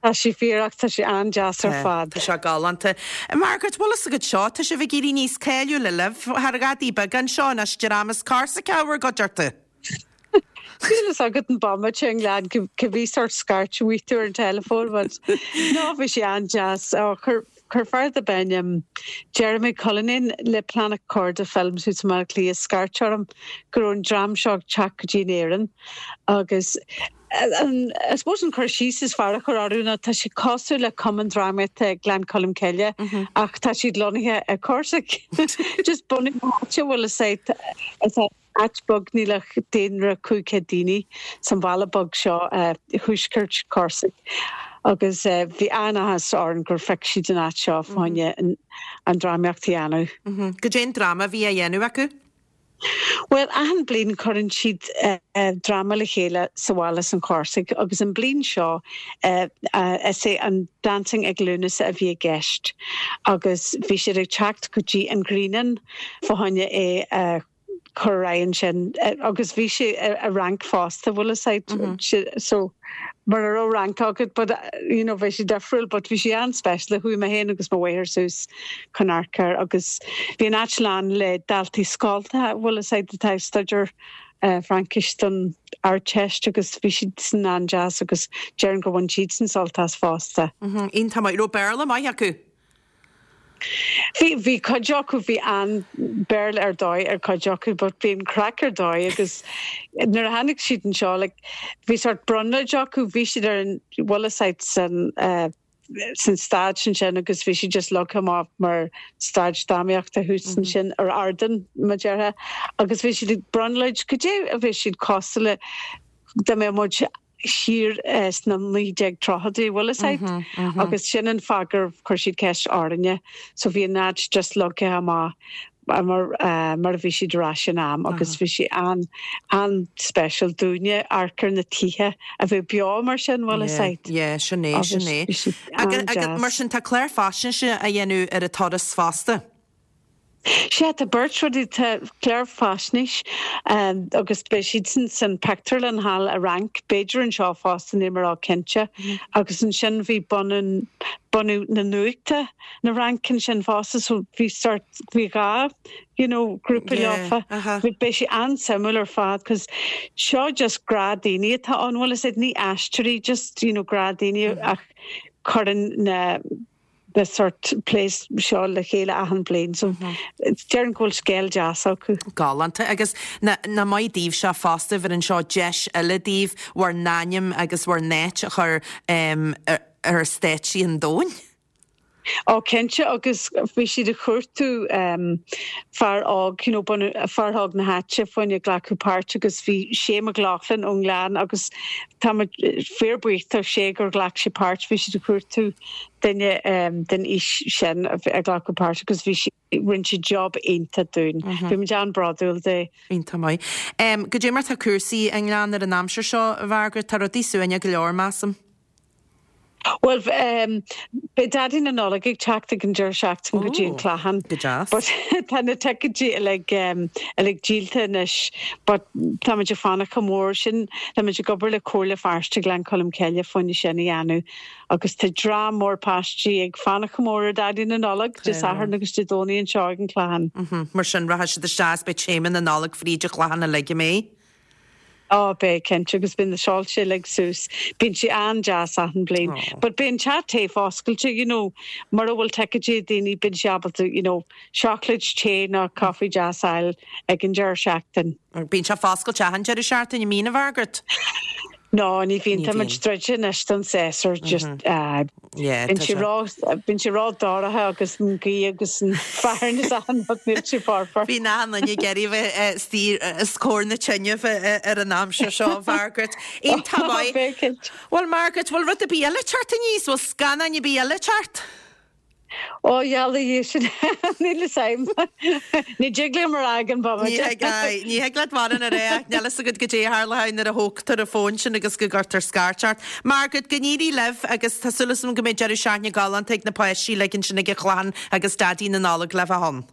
Tá sé fuar ach tá sé an-deas ar fad. Tá sé galánta. Margaret, bhfuil fhios agat seo, tá sibh ag éirí níos cáiliúla libh thar ghadaí beaga anseo anois, dream as Corsica bhur gcuideachta. Níl fhios agat an bomaite i nGleann cibé sórt scairt a bhfaighidh tú ar an teileafón but no bhí sé an-deas. Ó chuir chuir fear darb ainm Jeremy Cullinane le Planet Korda Films thuas i mBaile Átha Cliath scairt orm go raibh an dream seo ag teacht go dtí an Éirinn agus an I suppose an cur síos is fearr a chur orthu ná tá siad cosúil le Cumann Drámaíochta Gleann Cholm Cille ach tá siad lonnaithe i Corsic. Just bunadh na háite bhfuil fhios agat is áit beag níl ach daonra cúig chéad daoine san bhaile beag seo i thuaisceart Corsic agus bhí an-áthas orainn gur phioc siad an áit seo fá choinne an drámaíocht a dhéanamh. Goidé an dráma a bhí á dhéanamh acu? Bhuel, achan bliain cuireann siad dráma le chéile sa bhaile san Chorsaigh agus an bliain seo is é an Dancing ag Lúnasa a bhí i gceist agus bhí siad ag teacht go dtí an Ghrianán fá choinne é a chur ar aghaidh ansin agus bhí sé i Fhrainc fosta bhfuil fhios agat so mura raibh Fhrainc agat but you know bhí sé difriúil but bhí sé an-speisialta chuaigh mé féin agus mo mháthair suas chun amharc air agus bhí an áit lán le daltaí scolta bhfuil fhios agat atá ag staidéar Fraincis don Ardteist agus bhí siadsan an-deas agus déarfainn gur bhain siadsan sult as fosta. Iontach maith. Raibh Béarla maith acu? Bhí, bhí cuid acu, bhí an Béarla ar dóigh ar cuid acu but bhí an craic ar dóigh agus nuair a tháinig siad anseo like bhí sort brionglóid acu, bhí siad ar an, bhfuil fhios agat san eh san stage ansin agus bhí siad just leagtha amach mar stage drámaíochta thuas ansin ar ardán mar déarfá agus bhí siad ag brionglóid goidé a bhí siad cosúil le dá mbeadh muid siar sna naoi déag tríochaidí, bhfuil fhios agat? Agus sin an fáth gur chuir siad ceist orainne. So bhí an áit just leagtha amach mar uh, mar a bhí siad ar ais in am agus bhí sé an an-special dúinne amharc ar na tithe a bheith beo mar sin bhfuil a fhios agat. Yeah, sin é, sin é. Agus mar sin tá clár faisnéise á dhéanamh ar an turas fosta. Sea tá beirt rudaí tá clár faisnéis um, agus beidh siad sin san pictiúrlann thall i Fhrainc, b'fhéidir anseo fosta níl mé róchinnte mm. agus ansin bhí bunú bunú na nuachta na Fhrainc ansin fosta so bhí sort bhí dhá you know, grúpa leofa. Bhí beidh sé an-suimiúil ar fad, cos seo just gnáthdhaoine atá ann bhfuil a fhios agat ní aisteoirí just you know, gnáthdhaoine mm -hmm. ach cuireann na the sort place seo le chéile achan bliain so deirim go bhfuil scéal deas acu. Galánta agus nach maith daoibh seo fosta bheireann seo deis eile daoibh bhur n-ainm agus bhur n-áit a chur um, ar, ar stáitsí an domhain. Ó cinnte agus bhí siad ag cuartú um, fear óg you know, fear óg na háite fá choinne glacadh páirt agus bhí Shane McLaughlin ón nGleann agus tá fíorbhuíoch sé gur ghlac sé páirt bhí siad ag cuartú duine um, den aois sin a glacadh páirt agus bhí si rinne sé job iontach dúinn. Mm -hmm. Bhí muid an-bhródúil de. Iontach maith. Um, Goidé mar tá cúrsaí i nGleann ar an aimsir seo a Mhargaret tá rudaí suaimhneach go leor measaim. Well um, beidh Daidí na Nollag ag teacht ag an deireadh seachtaine go dtí an Clachán. Go deas. But tá na ticéidí uilig um, uilig díolta anois, but táimid ag fanacht go mór sin táimid ag obair le Comhairle Feirste Gleann Cholm Cille fá choinne sin a dhéanamh. agus tá dream mór páistí ag fanacht go mór ar Daidí na Nollag Dé Sathairn agus Dé Domhnaigh anseo ag an Clachán. Mm -hmm. Mar sin rachaidh siad isteach beidh téama na Nollag fríd an Chlachán uilig mé. Á beidh cinnte agus bíonn na soilse uilig suas. Bíonn sé an-deas achan bliain. Oh. But bíonn teach tae oscailte, you know, mura bhfuil ticéidí daoine bíonn sé ábalta, you know, seacláid tae nó caife deas a fháil ag an deireadh seachtain. Bíonn sé oscailte achan deireadh seachtaine an mbíonn a Mhargaret. No, ní bhíonn tá muid druidte anois don séasúr just bíonn sé ró-dorcha agus an ghaoth agus an fearn is an níl sé foirfe. Bhí na na geirí stír is cóir na tine ar an aimsir seo Margaret. Iontach maith. Well Margaret, bhfuil rud ar bith eile ag teacht aníos, bhfuil scannán ar bith eile ag teacht? Ó dhealaí sin níl a fhios agam. Ní thig liom a rá ag an bomaite. Ní thig leat mar an ré níl a fhios agat goidé a tharla nuair a thógtar an fón sin agus go gcuirtear scairt ort. Margaret go n-éirí libh agus tá súil agam go mbeidh deireadh seachtaine galánta ag na páistí le sin ag an Chlachán agus Daidí na Nollag le bheith ann.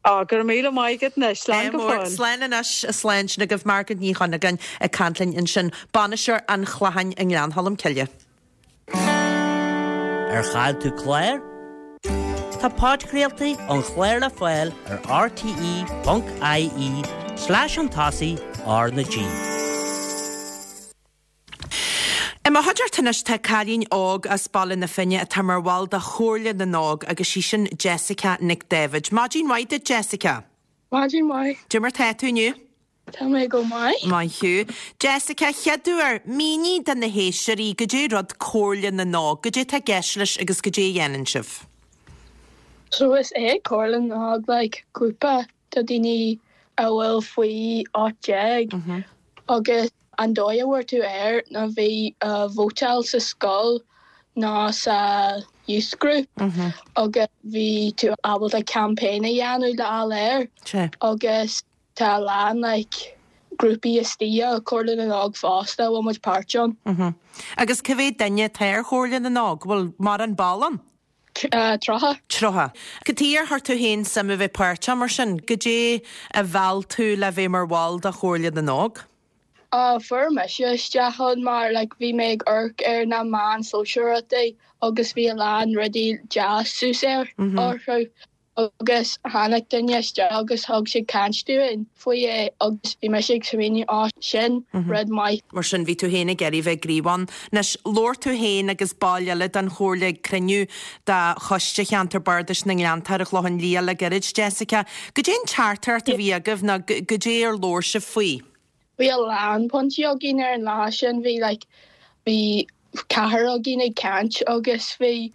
Á gur míle maith agat anois slán go fóill. Slán anois slán sin agaibh Margaret Ní Chuinneagáin ag caint linn ansin bainisteoir an Chlacháin i nGleann Cholm Cille. Ar chaill tú clár? Tá podchraoltaí an chláir le fáil ar rte.ie slash an tosaigh R na G. I mo chuideachta anois tá cailín óg as Baile na Finne atá mar bhall de Chomhairle na nÓg agus sí sin Jessica Nic David. Maidin mhaith duit Jessica. Maidin mhaith. Goidé mar tá tú inniu? Tá mé go maith. Maith thú. Jessica, chéad uair, mínigh do na héisteoirí goidé rud Comhairle na nÓg, goidé tá i gceist leis agus goidé a dhéanann sibh. So is é Comhairle na nÓg like grúpa de daoine a bhfuil faoi ocht déag agus an dóigh a bhfuair tú air ná bhí uh, vótáil sa scoil nó sa youth group agus bhí tú ábalta campaign a dhéanamh le fháil air agus tá a lán like grúpaí istigh i Comhairle na nÓg fosta bhfuil muid páirt ann. Agus cá mhéad duine atá ar Chomhairle na nÓg, bhfuil mórán ball ann? Uh, tríocha. Tríocha. Cad chuige ar chuir tú féin suim a bheith páirteach mar sin, goidé a mheall tú le bheith mar bhall de Chomhairle na nÓg? Uh, fuair mise isteach ann mar like, bhí mé ag amharc ar na meáin sóisialta agus bhí a lán rudaí deas suas air orthu agus tháinig duine isteach agus thug sé caint dúinn faoi é agus bhí mise ag smaoineamh á sin rud maith. Mar sin bhí tú féin ag iarraidh bheith gníomhach ann. Anois labhair tú féin agus baill eile den chomhairle ag cruinniú de Choiste Cheantar Bardais na nGleannta ar an Chlochán Liath le gairid Jessica. Goidé an teachtaireacht a bhí agaibh nó goidé ar labhair sibh faoi. Bhí a lán pointí againn ar an lá sin bhí like, bhí ceathrar againn ag caint agus bhí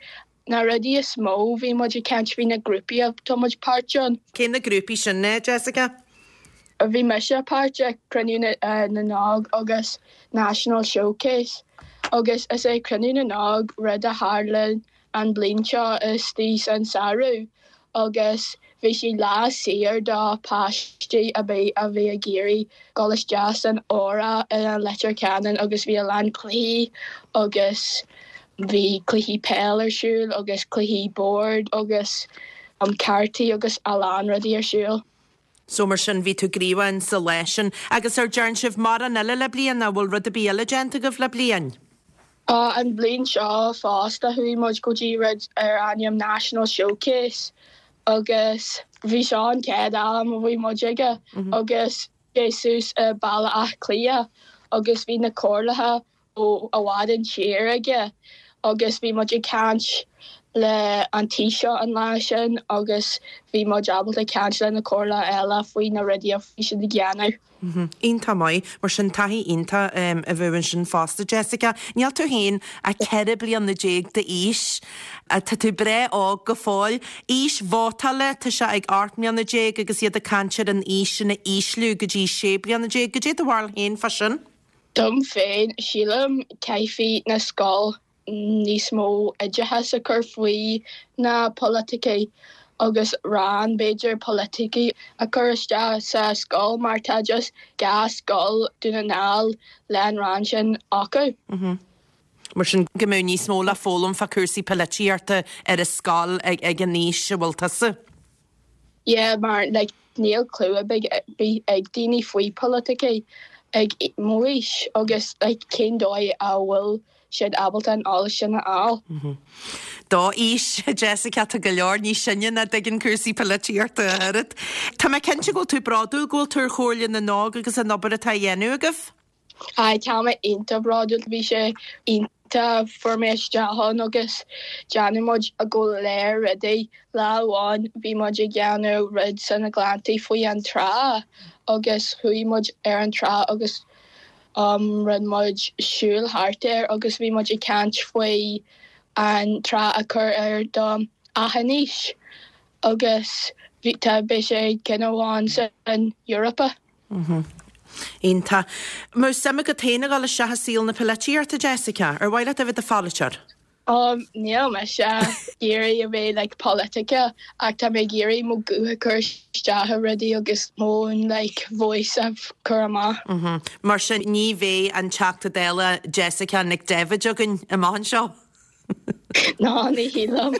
na rudaí is mó bhí muid ag caint faoi na grúpaí atá muid páirt ann. Cé na grúpaí sin é, Jessica? Bhí mise páirt ag Cruinniú na, uh, na nÓg agus National Showcase agus is é Cruinniú na nÓg rud a tharla an bliain seo istigh san samhradh agus bhí sé lá saor do páistí a bhí a bhí ag iarraidh dul isteach san Óra i Leitir Ceanainn agus bhí a lán cluichí agus bhí cluichí peil ar siúl agus cluichí board agus um, cártaí agus a lán rudaí ar siúl. So mar sin bhí tú gníomhach sa lá sin agus ar dearn sibh mórán eile le bliain an bhfuil rud ar bith eile déanta agaibh le bliain. Uh, an bliain seo fosta chuaigh muid go dtí rud ar ainm National Showcase agus bhí seo an chéad am a bhí muid aige agus Jesus i Baile Átha Cliath agus bhí na comhairlithe ó i bhfad an tír aige agus bhí muid ag caint le an Taoiseach an lá sin agus bhí muid ábalta caint le na comhairle eile faoi na rudaí a bhí siad ag déanamh. Iontach maith mar sin taithí iontach a bheith sin fosta Jessica. Níl tú féin ach ceithre bliana déag d'aois Tá tú breá óg go fóill. Aois vótála tá sé ag ocht mbliana déag agus iad ag caint ar an aois sin a ísliú go dtí sé bliana déag, goidé do bharúil féin fá sin? Dom féin sílim caithfidh na scoil níos mó oideachas a chur faoi na politicí agus rang b'fhéidir politicí a chur isteach sa scoil mar tá just dhá scoil Dún na nGall le an rang sin acu. Mm Mar sin go mbeadh níos mó le foghlaim fá cúrsaí polaitíochta ar a scoil ag ag an aois a bhfuil tusa. Yeah, mar like, níl clue ar bith ag daoine faoi politicí ag m'aois agus like, cén dóigh a bhfuil siad ábalta an eolas sin a fháil. Mm -hmm. D'aois Jessica tá go leor níos sine nach dtuigeann cúrsaí polaitíochta a oiread. Tá mé cinnte go bhfuil tú bródúil go bhfuil tú ar Chomhairle na nÓg agus an obair atá á dhéanamh agaibh? Ai tá mé iontach bródúil bhí sé iontach fuair mé isteach ann agus déanann muid a go léir rudaí lá amháin bhí muid ag déanamh rud sna Gleanntaí faoi an trá agus chuaigh muid ar an trá agus um, rinne muid siúl thart air agus bhí muid ag caint faoi an trá a chur ar do achan aois agus bhí tá b'é sé ceann amháin san Europa. Mm -hmm. Iontach. Má suim agat féin a dhul isteach i saol na polaitíochta Jessica, ar mhaith leat a bheith i do pholaiteoir? Um, níl mise ag iarraidh a bheith like, political ach tá mé ag iarraidh mo ghuth a chur isteach i rudaí agus mo like, voice a chur amach. Mm -hmm. Mar sin ní bheidh an Teachta Dála Jessica Nic David againn amach anseo. Ná ní shílim.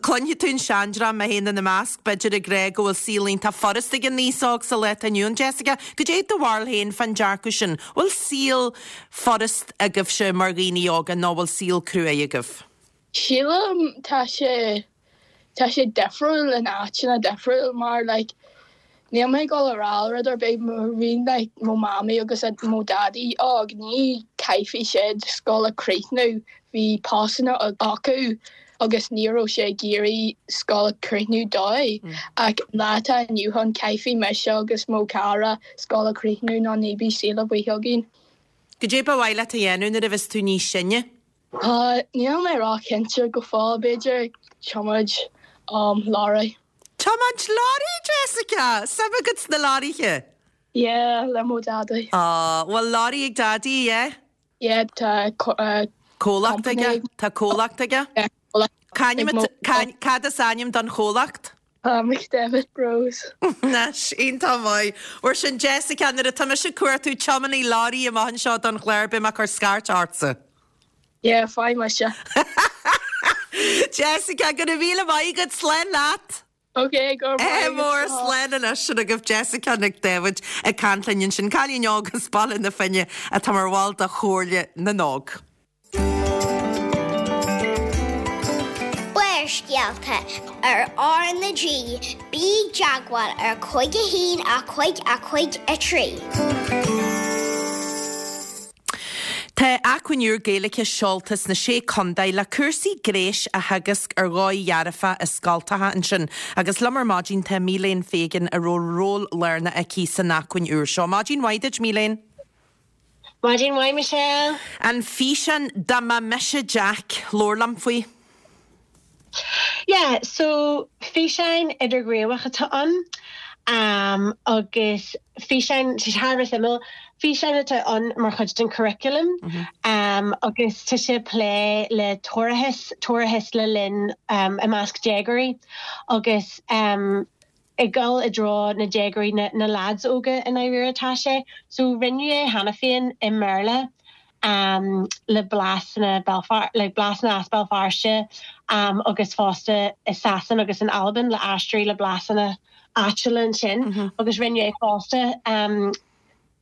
Cluinfidh tú an seandream mé féin ina measc b'fhéidir ag rá go bhfuil saol iontach furast ag an aos óg sa lá atá inniu ann Jessica, goidé do bharúil féin fán dearcadh sin, bhfuil saol furast agaibhse mar dhaoine óga nó bhfuil saol cruaidh agaibh? Sílim tá sé tá sé difriúil in áiteanna difriúil mar like, níl mé ag dul a rá rud ar bith mar bhí like, mo mamaí agus mo daidí óg ní caithfidh siad scoil a chríochnú bhí postanna acu agus ní raibh sé ag iarraidh scoil a chríochnú dóibh mm. ach lá atá inniu ann caithfidh mise agus mo chara scoil a chríochnú nó ní bheidh saol ar bith againn. Goidé ba mhaith leat a dhéanamh nuair a bheas tú níos sine? Uh, níl mé róchinnte go fóill b'fhéidir tiomáint um, leoraí. Tiomáint leoraí Jessica, Suim agat sna leoraithe? Yeah, le mo daidí. Ah, bhfuil leoraí ag daidí, yeah? Yeah, tá uh, Comhlacht aige Tá comhlacht aige? Cad is ainm don chomhlacht? Uh, McDevitt Bros. Ná iontach maith. Mar sin Jessica nuair atá mise ag cuartú tiománaí leoraí amach anseo don chlár beidh mé ag cur scairt ortsa. Yeah, faigh mise. Jessica go raibh míle maith agat slán leat. Okay, go É mór slán anois sin agaibh Jessica Nic David ag caint linn sin cailín óg as Baile na Finne atá mar bhall de Chomhairle na nÓg. Barrscéalta ar R na G, bí i dteagmháil ar cúig a haon a cúig a cúig a trí. Tá acmhainn úr Gaeilge seolta sna Sé Chontae le cúrsaí gnéis a theagasc ar dhóigh dhearfach i scoltacha ansin. Agus liom ar maidin tá Milene Fegan a raibh ról lárnach aici san acmhainn úr seo. Maidin mhaith duit Milene. Maidin mhaith Michelle. An físeán Dá mba mise Jack, labhair liom faoi. Yeah, so físeán idirghníomhach atá ann um, agus físeán sé thar a bheith suimiúil Físeán atá ann mar chuid den curriculum mm -hmm. um, agus tá sé plé le toircheas toircheas le linn um, i measc déagóirí agus um, ag dul i dtreo na déagóirí na, na lads óga i ndáiríre tá sé, so rinneadh é cheana féin i mBéarla um, le blasanna Belfast le blasanna as Béal Feirste um, agus fosta i Sasain agus in Albain le aistriú le blasanna áitiúla ansin mm -hmm. agus rinneadh é fosta um,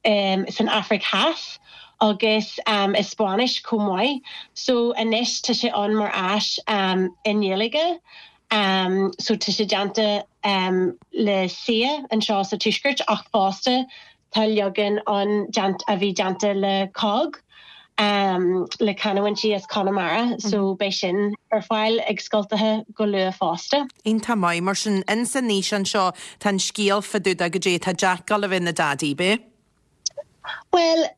um, san Afraic Theas agus um, i Spáinnis chomh maith, so anois tá sé ann mar áis um, i nGaeilge. Um, so tá sé déanta um, le C I A anseo sa tuaisceart ach fosta tá leagan ann a bhí déanta le C O G um, le canúintí as Conamara, mm -hmm. so beidh sin ar fáil ag scoltacha go luath fosta. Iontach maith mar sin insan fhíseán seo tá an scéal fá dtaobh de goidé tá Jack ag bheith ina daidí bé? Well,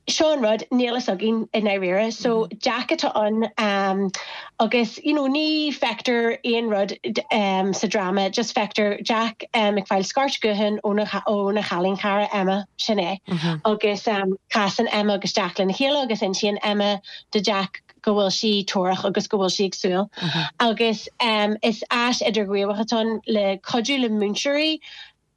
seo an rud níl a fhios againn i ndáiríre, so mm -hmm. Jack atá ann um, agus you know, ní feictear aon rud um, sa drama, just feictear Jack um, ag fáil scairt gutháin óna óna chailín cara Emma sin é. Mm -hmm. agus um, casann Emma agus Jack lena chéile agus insíonn Emma do Jack go bhfuil sí torrach agus go bhfuil sí ag súil. Mm -hmm. agus um, is áis idirghníomhach atá ann le cuidiú le múinteoirí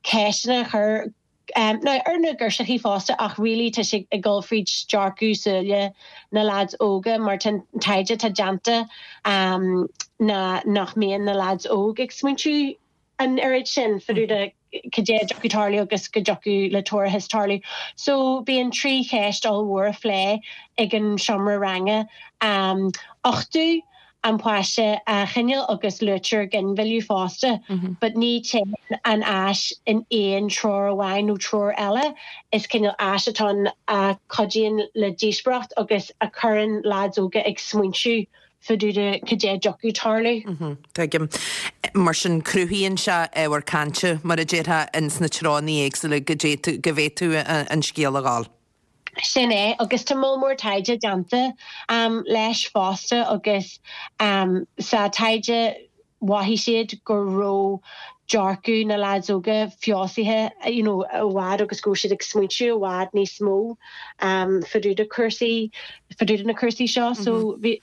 ceisteanna a chur um, now ar na girseachaí fosta ach really tá sé ag dul fríd dearcadh súile na lads óga mar taighde atá déanta um, na nach mbíonn na lads óg ag smaointiú an oiread sin fá dtaobh de cad é a dtiocfadh tarlú agus go dtiocfadh le toircheas tarlú. So bíonn trí cheist ollmhór á phlé ag an seomra ranga um, uchtú an páiste a choinneáil agus luaitear ginmhilleadh fosta, mm -hmm. but ní téann an áis in aon treo amháin nó treo eile is cineál áis atá a chuidíonn le díospóireacht agus a chuireann lads óga ag smaointiú fá dtaobh de cad é a dtiocfadh tarlú. Mhm, tuigim. Mar sin cruthaíonn sé ábhar cainte mar a déarfá ins na treonna éagsúla go go bhféadfadh an scéal a ghabháil. Sin é agus tá moll mór taighde déanta um, leis fosta agus um, sa taighde mhothaigh siad go raibh dearcadh na lads óga feabhsaithe you know, i bhfad agus go siad ag smaointiú i bhfad níos mó um, fá dtaobh de cúrsaí fá dtaobh de na cúrsaí seo mm -hmm. so bhí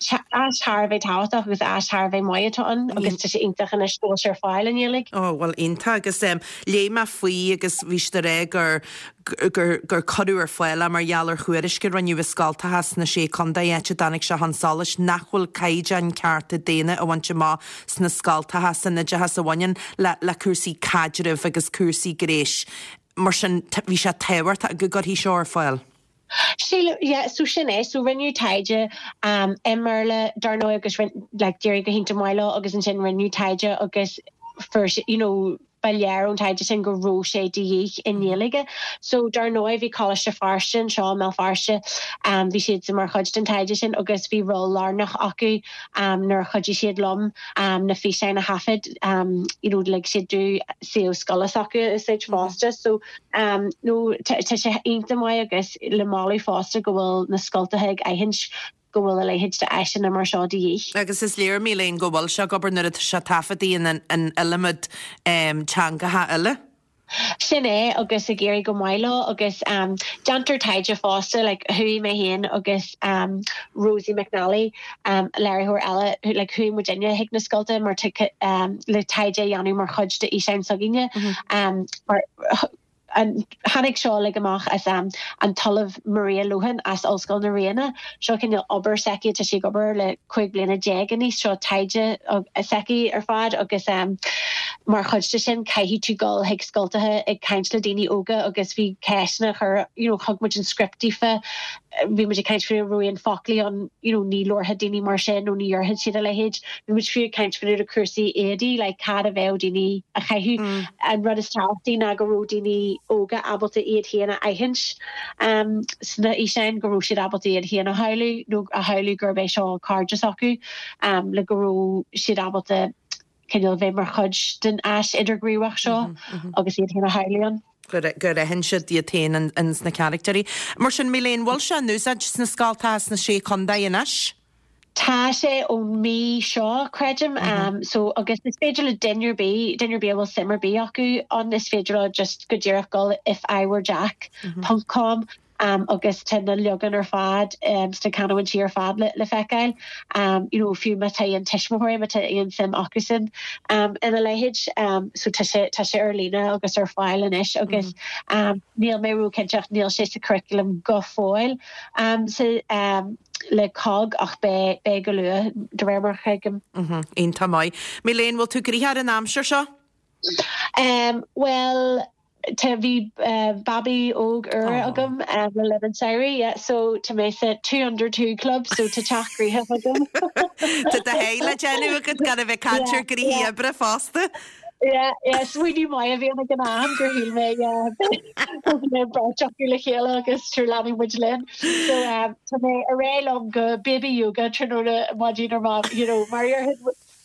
áis thar a bheith tábhachtach agus áis thar a bheith maith atá ann agus tá sé iontach anois go bhfuil sé ar fáil i nGaeilge. Ó well iontach agus um, léigh mé faoi agus bhí sé rá gur gur gur cuireadh ar fáil mar gheall ar thuairisc a rinneadh i scoltacha sna sé chontae áit a dtáinig sé chun solais nach bhfuil caighdeán cearta daonna a bhaint amach sna scoltacha san oideachas a bhaineann le le cúrsaí caidrimh agus cúrsaí gnéis. Mar sin bhí sé tábhachtach go gcuirfí seo ar fáil. Sí yeah, so sin é so rinneadh taighde um, i mBéarla dar ndóigh agus like, d'éirigh go hiontach maith leo agus ansin rinneadh taighde agus first you know ba léir ón taighde sin go raibh sé de dhíth i nGaeilge. So dar ndóigh bhí Coláiste Feirste anseo i mBéal Feirste um, bhí siad mar chuid den taighde sin agus bhí ról lárnach acu um, nuair a chuidigh siad liom um, na físeáin a thaifead um, you know, like siad do suíomh scoile s'acu a úsáid fosta. So um, no tá sé iontach maith agus le moladh fosta go bhfuil na scoltacha ag aithint go bhfuil a leithéid de áiseanna mar seo de dhíth. Agus is léir mí léin go bhfuil sé ag obair nuair atá sé taifeadta in an iliomad um, teangacha eile. Sin é agus ag éirí go maith leo agus um, déantar taighde fosta like, chuaigh mé féin agus um, Rosie McNally um, léiritheoir eile like, chuaigh muidinne chuig na scolta mar um, le taighde a dhéanamh mar chuid de fhíseán s'againne mm -hmm. um, mar an tháinig seo le amach as um, an tOllamh Maria Lohan as Ollscoil na Ríona seo cineál obair s'aici tá sí ag obair le cúig bliana déag anois seo taighde s'aici ar fad agus um, mar chuid de sin caithfidh tú dul chuig scoltacha ag caint le daoine óga agus bhí ceisteanna chur you know, thug muid an script daofa bhí muid ag caint faoi raibh aon foclaí ann you know, ní labharfadh daoine mar sin nó ní dhéarfadh siad a leithéid bhí muid fiú ag caint faoi na cúrsaí éadaí le cad a bheadh daoine a chaitheamh mm. an rud is tábhachtaí ná go raibh daoine óga ábalta iad féin a aithint um, sna fhíseáin go raibh siad ábalta iad féin a shamhlú nó a shamhlú gurb é seo cairde s'acu um, le go raibh siad ábalta cineál bheith mar chuid den áis idirghníomhach seo mm -hmm. agus iad féin a shamhlú ann. gur gur aithin siad iad féin ins na carachtair. Mar sin mí léin bhfuil sé in úsáid sna scoltacha sna sé chontae anois? Tá sé ón mí seo creidim mm -hmm. um, so agus is féidir le duine ar bith duine ar bith bhfuil suim ar bith acu ann is féidir le just go díreach dul if I were Jack mm -hmm. .com agus tá na leagan ar fad sna canúintí ar fad le le feiceáil you know fiú má tá aon tuismitheoirí má tá aon suim acusan ina leithéid so tá sé tá sé ar líne agus ar fáil anois agus níl mé róchinnte ach níl sé sa curriculum go fóill sa le cogg ach beidh beidh go luath de réir mar a thuigim. Iontach maith. Milène, bhfuil tú gnoitheach ar an aimsir seo? Um, well Tá bhí uh, babaí óg úr agam um, le linn an tsamhraidh, yeah, so tá mé sa two under two club so tá teach gnoitheach agam. Tá do sháith le déanamh agat gan a bheith ag caint ar ghnoithí oibre fosta. Yeah, yeah, smaoineamh maith a bhí ag an am gur shíl mé mé beirt acu le chéile agus tar leanfaidh muid linn. So um, tá mé ar aghaidh liom go baby yoga tráthnóna maidin ar ma you know, mar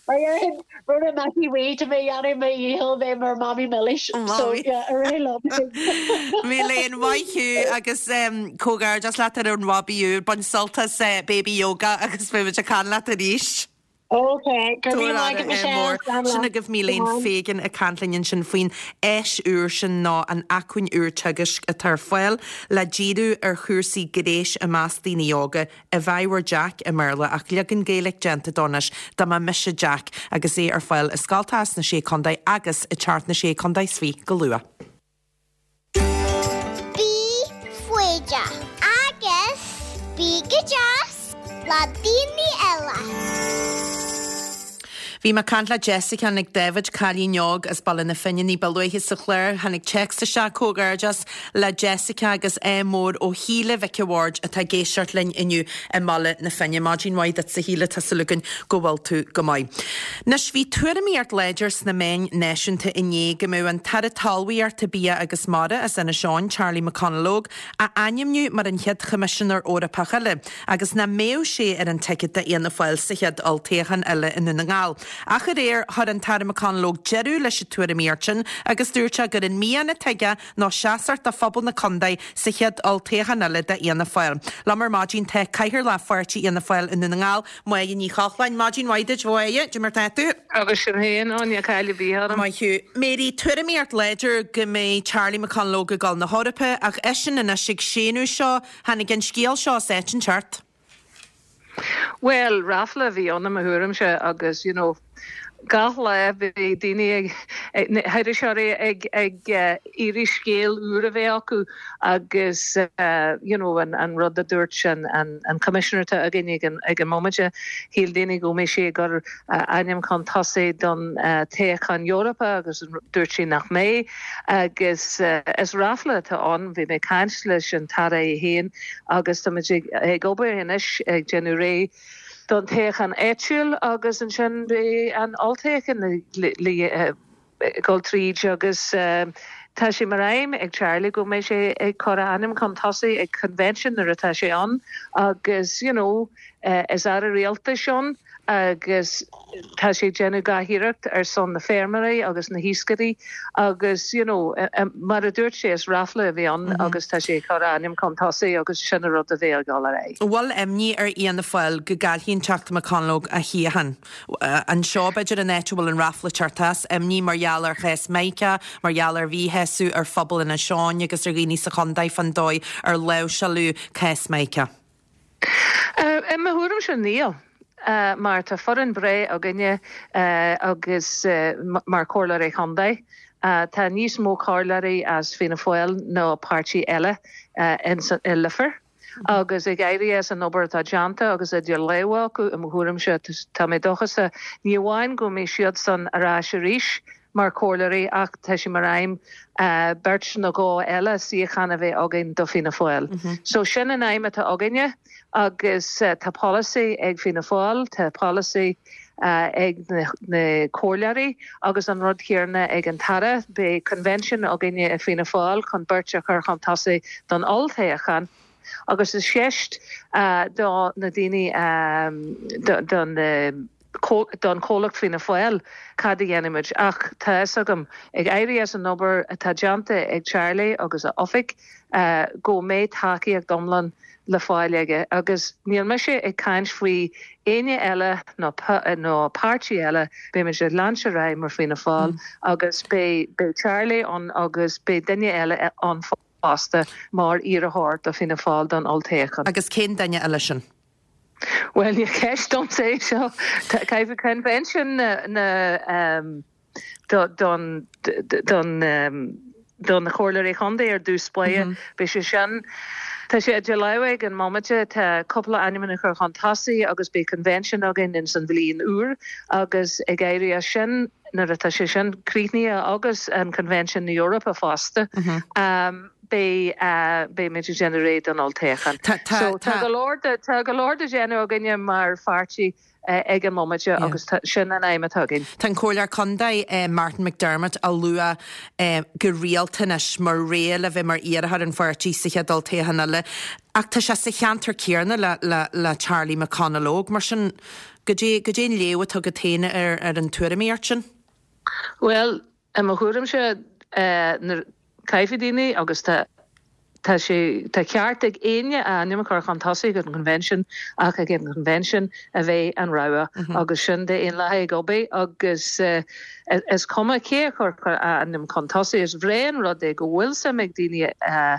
mar rud Mattie Wee tá mé dhéanamh mé dhícheall bheith mar mamaí milis. So yeah, ar aghaidh liom. Milène maith thú agus um, comhghairdeas leat ar an bhabaí úr, bain sult as uh, baby yoga agus beidh muid ag caint leat arís. Ok, go raibh maith agat Michelle. Sin agaibh Milène Fegan ag caint linn ansin faoin áis úr sin nó an acmhainn úr teagaisc atá ar fáil le díriú ar chúrsaí gnéis i measc daoine óga If I Were Jack i mBéarla ach leagan Gaeilge déanta dó anois dá mba mise Jack agus é ar fáil i scoltacha sna sé chontae agus ag teacht sna sé chontae is fiche go luath. Bí foighdeach agus bí go deas le daoine eile. Bhí mé ag caint le Jessica Nic David cailín óg as Baile na Finne ní ba luaithe sa chlár tháinig téacs isteach comhghairdeas le Jessica agus ádh mór ó Shíle Mhic a' Bhaird atá ag éisteacht linn inniu i mBaile na Finne. Maidin mhaith duit a Shíle tá súil againn go bhfuil tú go maith. Anois bhí tuairimíocht láidir sna meáin náisiúnta inné go mbeadh an tAire Talmhaíochta Bia agus Mara as Inis Eoghain, Charlie McConalogue, á ainmniú mar an chéad Choimisinéir Eorpach eile, agus nach mbeadh sé ar an ticket d'Fhianna Fáil sa chéad olltoghchán eile i nDún na nGall. Ach aréir chuir an tAire McConalogue deireadh leis an tuairimíocht sin agus dúirt sé gur an mian atá aige ná seasamh do phobal na contae sa chéad olltoghchán eile d'Fhianna Fáil. Liom ar maidin tá Cathaoirleach Pháirtí Fhianna Fáil i Ndún na nGall, Máire Ní Chochláin, Maidin mhaith duit a Mháire, cad é mar tá tú? Agus sin féin níl caill ar bith orm. Maith thú. Mary, tuairimíocht láidir go mbeidh Charlie McConalogue ag dul na hEorpa ach eisean anois ag séanadh seo tháinig an scéal seo as áit inteacht. Well, ráfla a bhí ann i mo thuairimse agus you know, gach lá bhí daoine ag iriseoirí ag ag iarraidh scéal úr a bheith acu agus uh, you know, an, an rud a dúirt an, an, an commissioner atá againn ag an, ag an móide shíl daoine go mbeidh sé gur uh, ainm chun tosaigh don uh, toghchán Eorpach agus dúirt sé nach mbeidh agus uh, is ráfla atá ann bhí mé ag caint leis an tAire féin agus tá ag, ag obair anois ag déanamh réidh don toghchán áitiúil agus ansin beidh an olltoghchán le dul tríd agus uh, tá sé mar aidhm ag Charlie go mbeidh sé ag cur a ainm chun tosaigh ag convention nuair atá sé ann agus you know, uh, is aire rialtais ann agus tá sé déanamh gach iarracht ar son na feirmeoirí agus na hiascairí agus you know, mar a dúirt sé is ráfla a bhí ann mm -hmm. agus tá sé cur ainm chun tosaigh agus sin rud a bheidh ag dul ar aghaidh. Bhfuil imní ar Fhianna Fáil go gcaillfidh an Teachta McConalogue a shuíochán. Anseo b'fhéidir an áit a bhfuil an ráfla ag teacht as imní mar gheall ar chás Micah, mar gheall ar mhíshásamh ar phobal Inis Eoghain agus ar dhaoine sa chontae fán dóigh ar láimhseáladh cás Micah. Uh, I mo thuairimse níl. Uh, mar tá foireann breá againne uh, agus uh, mar chomhairleoirí contae. Uh, tá níos mó comhairleoirí as Fianna Fáil ná páirtí eile uh, in, i Leifear. agus ag éirí as an obair atá déanta agus idir lámha acu i mo thuairimse tá mé dóchasach ní amháin go mbeidh siad san ar ais arís mar chomhairleoirí ach tá sé mar aidhm uh, beirt nó dhó eile suíochán a bheith againn do Fianna Fáil. Mm -hmm. So sin an aidhm atá againne agus uh, tá policy ag Fianna Fáil, tá policy uh, ag na, na comhairleoirí agus an rud céanna ag an tAire beidh convention againne i Fianna Fáil chun beirt a chur chun tosaigh don olltoghchán. agus is ceist uh, do na daoine um, don uh, don chomhlacht Fianna Fáil cad a dhéanfaimid ach tá agam ag éirí as an obair atá déanta ag Charlie agus a oifig uh, go mbeidh tacaíocht iomlán le fáil aige agus níl mise ag caint faoi éinne eile nó nó páirtí eile beimid ag leanúint ar aghaidh mar Fianna Fáil mm. agus beidh beidh Charlie ann agus beidh duine eile ann fosta mar iarrthóir do Fianna Fáil don olltoghchán. Agus cén duine eile sin? Well ní ceist domsa é seo caithfidh convention na na um, do, don don um, don chomhairleoirí contae ar dtús báire mm -hmm. Beidh sé sin Tá sé idir lámha ag an mbomaite tá cúpla ainm chur chun tosaigh agus beidh convention againn in san bhliain úr agus ag éirí as sin nuair atá sé sin críochnaithe agus an convention na Eorpa fosta. Mm -hmm. um, Beidh uh, beimid ag déanamh réidh don olltoghchán. So tá go leor tá go leor le déanamh againne mar pháirtí uh, ag an mbomaite yeah. agus sin an aidhm atá againn. Tá an Comhairleoir Contae eh, Martin McDermott á lua eh, go rialta anois mar rogha le bheith mar iarrthóir an pháirtí sa chéad olltoghchán eile. Ach tá sé sa cheantar céanna le, le, le Charlie McConalogue mar sin go dté go dté an léamh atá agat féin ar, ar an tuairimíocht sin? Well, i mo thuairimse uh, caithfidh daoine agus tá tá sé tá ceart ag éinne a ainm a chur chun tosaigh an convention ach ag an convention a bheidh an rogha mm -hmm. agus sin daonlathas ag obair agus uh, is cuma cé chur a ainm chun tosaigh is breá an rud é go bhfuil suim ag daoine uh,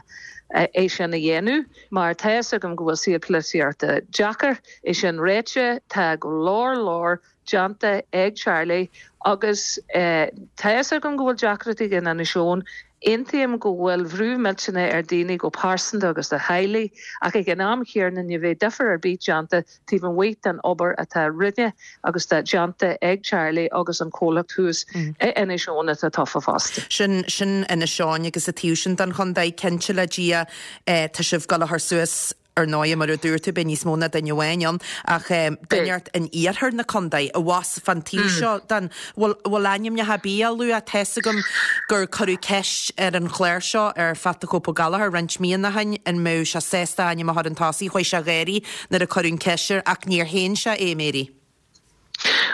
é sin a dhéanamh mar tá agam go bhfuil saol polaitíochta deacair é sin ráite tá go leor leor déanta ag Charlie agus uh, tá agam go bhfuil deacrachtaí in Inis Eoghain Aontaím go bhfuil brú millteanach ar daoine go pearsanta agus do theaghlaigh ach ag an am céanna ní bheidh difear ar bith déanta taobh amuigh den obair atá rinne agus tá déanta ag Charlie agus an comhlacht thuas mm. Inis Eoghain atá tofa fosta. Sin sin Inis Eoghain agus an taobh sin den chontae cinnte le Dia eh, tá sibh ag dul a chur suas ar ndóigh mar a dúirt tú beidh níos mó ná duine amháin ann ach um, duine in iarthar na contae a bhas fan taobh mm. seo den bhfuil bhfuil ainmneacha ar bith á lua tá a fhios agam gur cuireadh ceist ar an chlár seo ar Pat the Cope Gallagher roinnt míonna ó shin an mbeadh sé sásta ainm a chur chun tosaigh chuaigh sé ag gáirí nuair a cuireadh an cheist air ach níor shéan sé é Mary.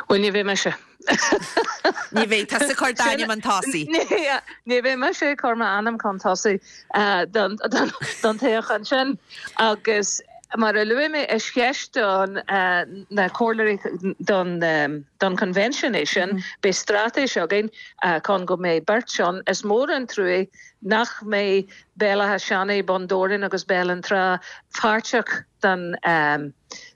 Well ní bheidh mise. Ní bheidh tusa ag cur d'ainm chun tosaigh. Ní bheidh mise ag cur m'ainm chun tosaigh don toghchán sin agus mar a luaigh mé is ceist don na comhairleoirí don don convention é sin mm. Beidh straitéis againn chun go mbeidh beirt ann is mór an trua nach mbeidh Béal Átha Seanaidh Bun Dobhráin agus Béal an Trá páirteach den um,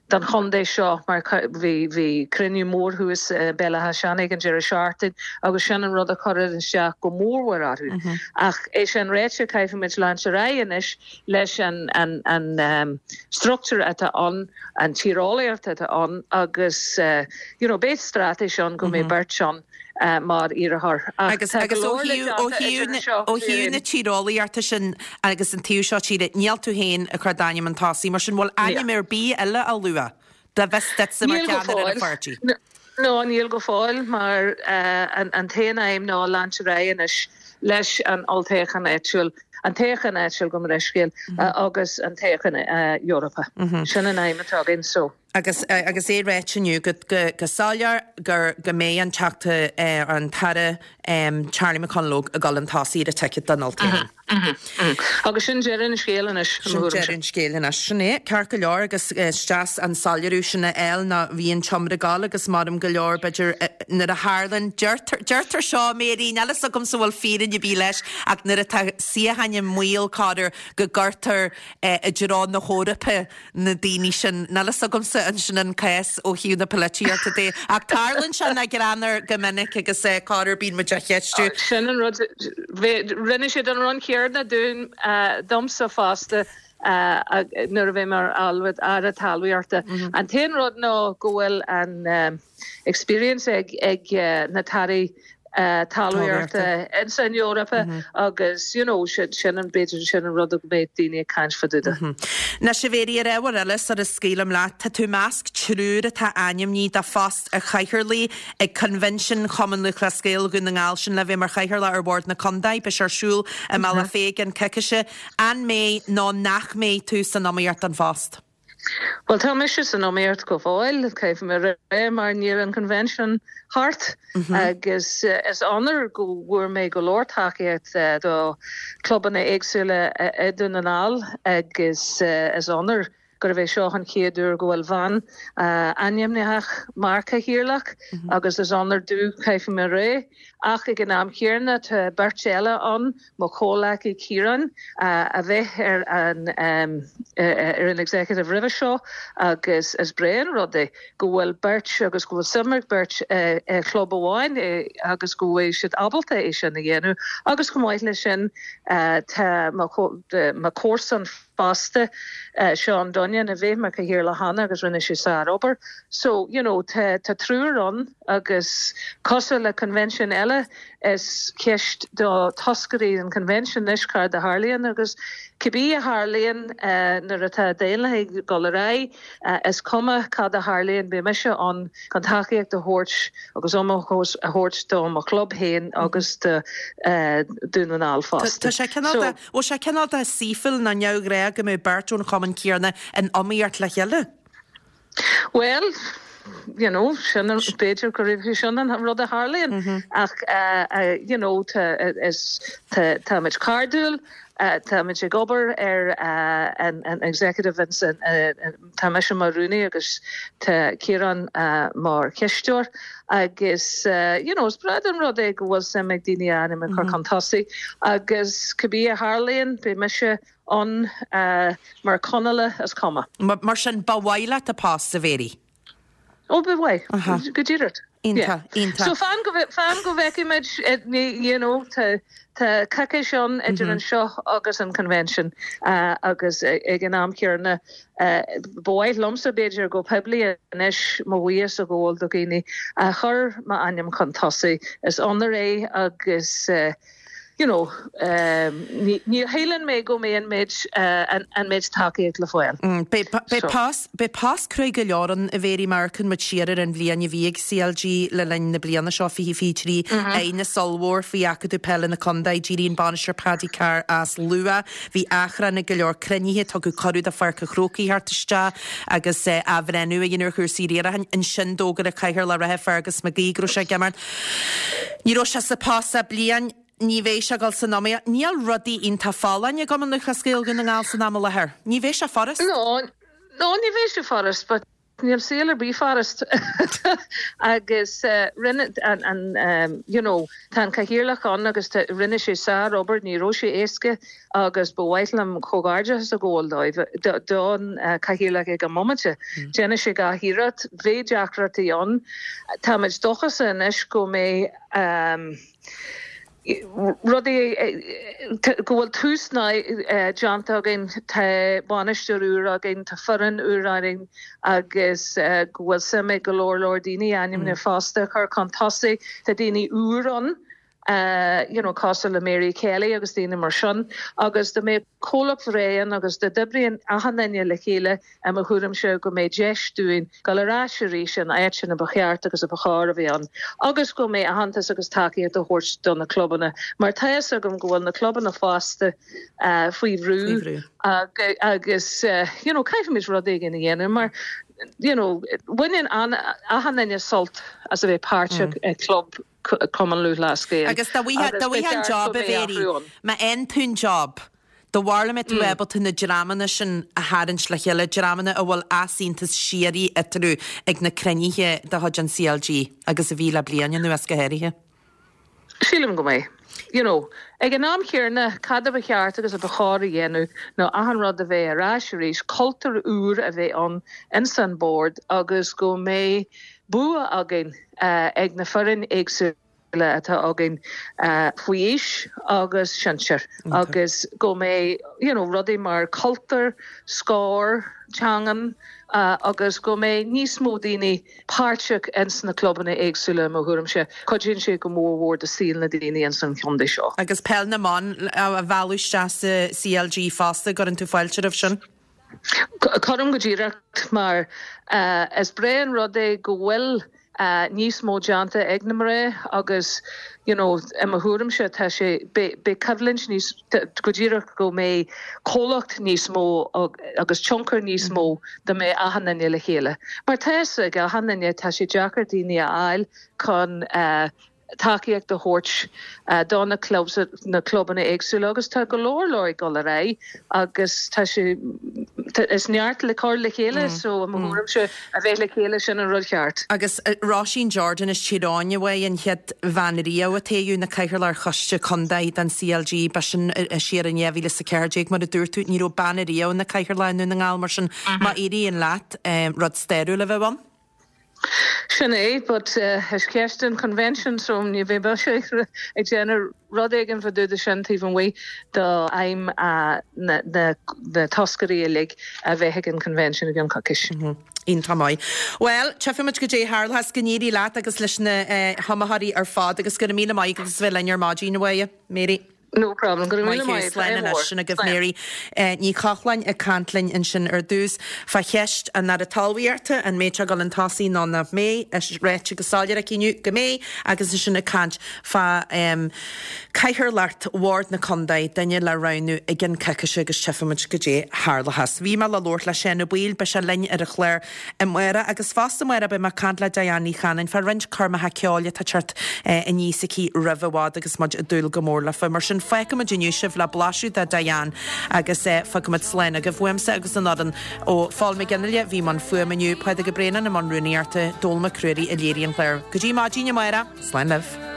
don chontae seo mar bhí bhí cruinniú mór thuas uh, Béal Átha Seanaidh an deireadh seachtaine agus sin an rud a chuir isteach go mórmhór orthu. Mm -hmm. Ach é sin ráite caithfimid leanúint ar aghaidh anois leis an an an um, struchtúr atá ann an tíreolaíocht atá ann agus uh, you know, beidh straitéis ann go mbeidh mm -hmm. beirt ann uh, mar iarrthóir. Agus agus ó thaobh na tíreolaíochta sin agus an taobh seo tíre níl tú féin ag cur d'ainm chun tosaigh, mar sin bhfuil ainm ar bith eile á lua de bheith mar cheannaire an pháirtí. No níl go fóill mar uh, an, an t-aon aidhm ná leanúint ar aghaidh anois leis an olltoghchán áitiúil an toghchán áitiúil go mbeidh mm -hmm. uh, agus an toghchán uh, Eorpach. Mm -hmm. Sin an aidhm atá againn so. Agus agus é ráite inniu go go go soiléir gur go mbeidh an teachta uh, an tAire um, Charlie McConalogue ag dul chun tosaigh ar an ticket don olltoghchán. Mm -hmm, mm -hmm. Agus sin deireadh an scéil anois Sin deireadh an scéil anois sin é ceart go leor agus is deas an soiléiriú sin a fháil ná bhí an tseomra gal agus maram go leor b'fhéidir nuair a tharlaíonn deirtear seo Mary níl a fhios agamsa bhfuil fírinne ar bith leis ach nuair atá suíochán i mbaol corruair go gcuirtear i dtreo na hEorpa na daoine sin níl a fhios agamsa an sin an cás ó thaobh na polaitíochta de ach tarlaíonn sé na greanar go minic agus corruair bíonn muid á cheistiú. Sin an rud rinne siad an rud céanna dúinn domsa fosta nuair a bhí mar aire talmhaíochta. Mm -hmm. An t-aon rud ná go bhfuil an um, experience ag ag uh, na tairí uh, talmhaíochta in san Eorpa mm -hmm. agus you know, sin sin an b'fhéidir sin an rud go mbeidh daoine ag caint fá dtaobh de. Mm -hmm. Na sé bhéirí ar ábhar eile sar a scaoilim leat tá tú i measc triúr atá ainmnithe do phost an chathaoirligh ag Convention Chumann Lúthchleas Gael Dhún na nGall sin le bheith mar chathaoirleach ar bhord na contae beidh sé ar siúl i mBealach Féich an coicís an mbeidh nó nach mbeidh tú san iomaíocht don phost. Well tá mise san iomaíocht go fóill caithfidh mé rá mar níl an convention thart mm -hmm. agus uh, is onóir go bhfuair mé go leor tacaíocht uh, do clubanna éagsúla uh, i Dún na nGall agus uh, is onóir gurbh é seo an chéad uair go bhfuil bhean ainmnithe mar chathaoirleach agus is onóir domh caithfidh mé a rá. Ach ag an am chéanna tá beirt eile ann, mo chomhghleacaí Ciarán a bhí ar an ar an executive roimhe seo agus is breá an rud é go bhfuil beirt agus go bhfuil suim ag beirt i chlub amháin agus go bhfuil siad ábalta é sin a dhéanamh agus chomh maith leis sin tá mo chomharsan fosta Seán Dunnion a bhí mar chathaoirleach cheana agus rinne sé sárobair. So you know tá tá triúr ann agus cosúil le convention eile is ceist do toscairí an convention anois cad a tharlaíonn agus cibé a tharlaíonn nuair atá daonlathaigh ag dul ar aghaidh is cuma cad a tharlaíonn beidh mise ann chun tacaíocht a thabhairt agus ómós a thabhairt do mo chlub féin agus do Dún na nGall fosta. Tá sé cineál de, bhfuil sé cineál de saoithiúil nó neamhghnách go mbeadh beirt ón chumann céanna in iomaíocht le chéile? Well, you know, sin b'fhéidir go raibh sin an rud a tharlaíonn ach you know, is táimid cairdiúil, táimid ag obair ar an an executive tá mise mar rúnaí agus tá Ciarán mar chisteoir agus you know, is breá an rud é go bhfuil suim ag daoine a ainm a chur chun tosaigh agus cibé a tharlaíonn beidh mise ann mar Conallaigh is cuma. Mar sin ba mhaith leat an post a Mhary? Ó ba mhaith, go díreach. Iontach, iontach. So fan go fan go bhfeicfimid you know, tá tá coicís ann idir anseo agus an convention agus ag an am céanna ba mhaith liomsa b'fhéidir go poiblí anois mo bhuíochas a ghabháil do dhaoine a chuir m'ainm chun tosaigh. Is onóir é agus you know, ní shíleann mé go mbeidh an méid an méid tacaíocht le fáil. Beidh post beidh post cruaidh go leor ann a Mhary mar amharcann muid siar ar an bhliain a bhí ag CLG le linn na bliana seo fiche fiche trí aighneas ollmhór faoi Acadamh Peile na Contae, d'éirigh an bainisteoir Paddy Carr as luath, bhí achrann ag go leor cruinnithe, tugadh cuireadh do Pháirc an Chrócaigh theacht isteach agus athbhreithniú a dhéanamh ar chúrsaí riaracháin. Ansin d'fhógair an cathaoirleach reatha Fergus McGee go raibh sé ag imeacht. Ní raibh sé sa post ach bliain. Ní bheidh sé ag dul san iomaíocht. Níl rudaí iontach folláin i gCumann Lúthchleas Gael Dhún na nGall san am i láthair. Ní bheidh sé furast. No, no ní bheidh sé furast, but níl saol ar bith furast. Agus rinne an, an, you know, tá an cathaoirleach ann agus rinne sé sárobair, ní raibh sé éasca agus ba mhaith liom comhghairdeachas a ghabháil dóibh don cathaoirleach ag an mbomaite. Déanann sé gach iarracht, bhí deacrachtaí ann. Táimid dóchasach anois go mbeidh um, rudaí go bhfuil tús déanta againn tá bainisteoir úr againn, tá foireann úr againn agus go bhfuil suim ag go leor leor daoine ainmne fosta a chur chun tosaigh, tá daoine úr ann. Uh, you know, cosúil le Mary Kelly agus daoine mar sin, agus dá mbeidh comhlacht bhreá agus dá n-oibríonn achan duine le chéile i mo thuairimse go mbeidh deis dúinn dul ar ais arís an áit sin a ba cheart agus a ba chóir a bheith ann, agus go mbeidh aitheantas agus tacaíocht a thabhairt do na clubanna, mar tá fhios agam go bhfuil na clubanna fosta uh, faoi bhrú agus uh, you know, caithfimid rud éigin a dhéanamh mar you know, baineann achan duine sult as a bheith páirteach mm. i club Cumann Lúthchleas Gael. Agus dá bhfaighfeá an job a Mhary, má fhaigheann tú an job, do bharúil an mbeidh tú ábalta na dreamanna sin a tharraingt le chéile, dreamanna a bhfuil easaontas síoraí eatarthu ag na cruinnithe de chuid an CLG agus a bhí le bliain anuas go háirithe. Sílim go mbeidh. You know, ag an am chéanna cad a ba cheart agus a ba chóir a dhéanamh ná achan rud a bheith ar ais arís, cultúr úr a bheith ann ins an bord agus go mbeidh bua againn uh, ag na foireann éagsúla atá againn uh, faoi aois agus sinsir agus go mbeidh you know, rudaí mar cultúr, scór, teangan uh, agus go mbeidh níos mó daoine páirteach ins na clubanna éagsúla mo thuairimse cuidíonn sé go mór mhór do saol na daoine ins an chontae seo. Agus peil na mban a mhealladh isteach sa CLG fosta gcuireann tú fáilte roimh sin? Cuirim go díreach mar uh, is breá an rud é go bhfuil uh, níos mó déanta ag na mná agus you know, i mo thuairimse tá sé beidh coimhlint níos go díreach go mbeidh comhlacht níos mó agus tionchar níos mó dá mbeidh achan duine le chéile. Mar tá ag achan duine tá sé deacair daoine a fháil chun uh, tacaíocht a thabhairt uh, do na clubs na clubanna éagsúla agus tá go leor leor ag dul ar aghaidh agus tá sé Is neart le cur le chéile so i mo thuairimse a bheith le chéile sin an rud ceart. Agus Róisín Jordan as Tír Eoghain a bhí an chéad bhean riamh a toghadh ina cathaoirleach ar choiste contae den CLG, b'shin siar in dhá mhíle is a ceathair déag mar a dúirt tú, ní raibh bean riamh ina cathaoirleach i nDún na nGall mar sin má éiríonn leat rud stairiúil a bheith ann. Sin é, but is ceist an convention so ní bheidh mise ag déanamh rud éigin fá dtaobh de sin taobh amuigh d'aidhm na toscairí uilig a bheith ag an convention i gceann coicís. Iontach maith. Bhuel, tchífimid goidé a tharlós, go n-éirí leat agus leis na hiomaitheoirí ar fad agus go raibh míle maith agat as bheith linn ar maidin, a Mháire. Mary. No problem, go raibh míle maith. Slán anois, sin agaibh Mary Ní Chochláin ag caint linn ansin ar dtús fá cheist an Aire Talmhaíochta, an mbeidh sé ag dul chun tosaigh nó nach mbeidh, is ráite go soiléir aici inniu go mbeidh, agus ansin ag caint fá cathaoirleacht Bhord na Contae, duine le roghnú i gceann coicíse agus tchífimid goidé a tharlóchas. Bhí mé le labhairt le Seán Ó Baoill, beidh sé linn ar an chlár amárach agus fosta amárach beidh mé ag caint le Diane Ní Chanainn fá roinnt coirmeacha ceoil atá ag teacht aníos aici roimh i bhfad agus muid ag dúil go mór leofa. Mar sin fágfaimid inniu sibh le blaiseadh de Diane agus fágfaimid slán agaibh uaimse agus an fhoireann ó Phól Mac Fhionnghaile a bhí i mbun fuaime inniu, Pádraig Ó Braonáin i mbun rúnaíochta, Dónall Mac Ruairí a léirigh an clár. Go dtí maidin amárach, slán libh.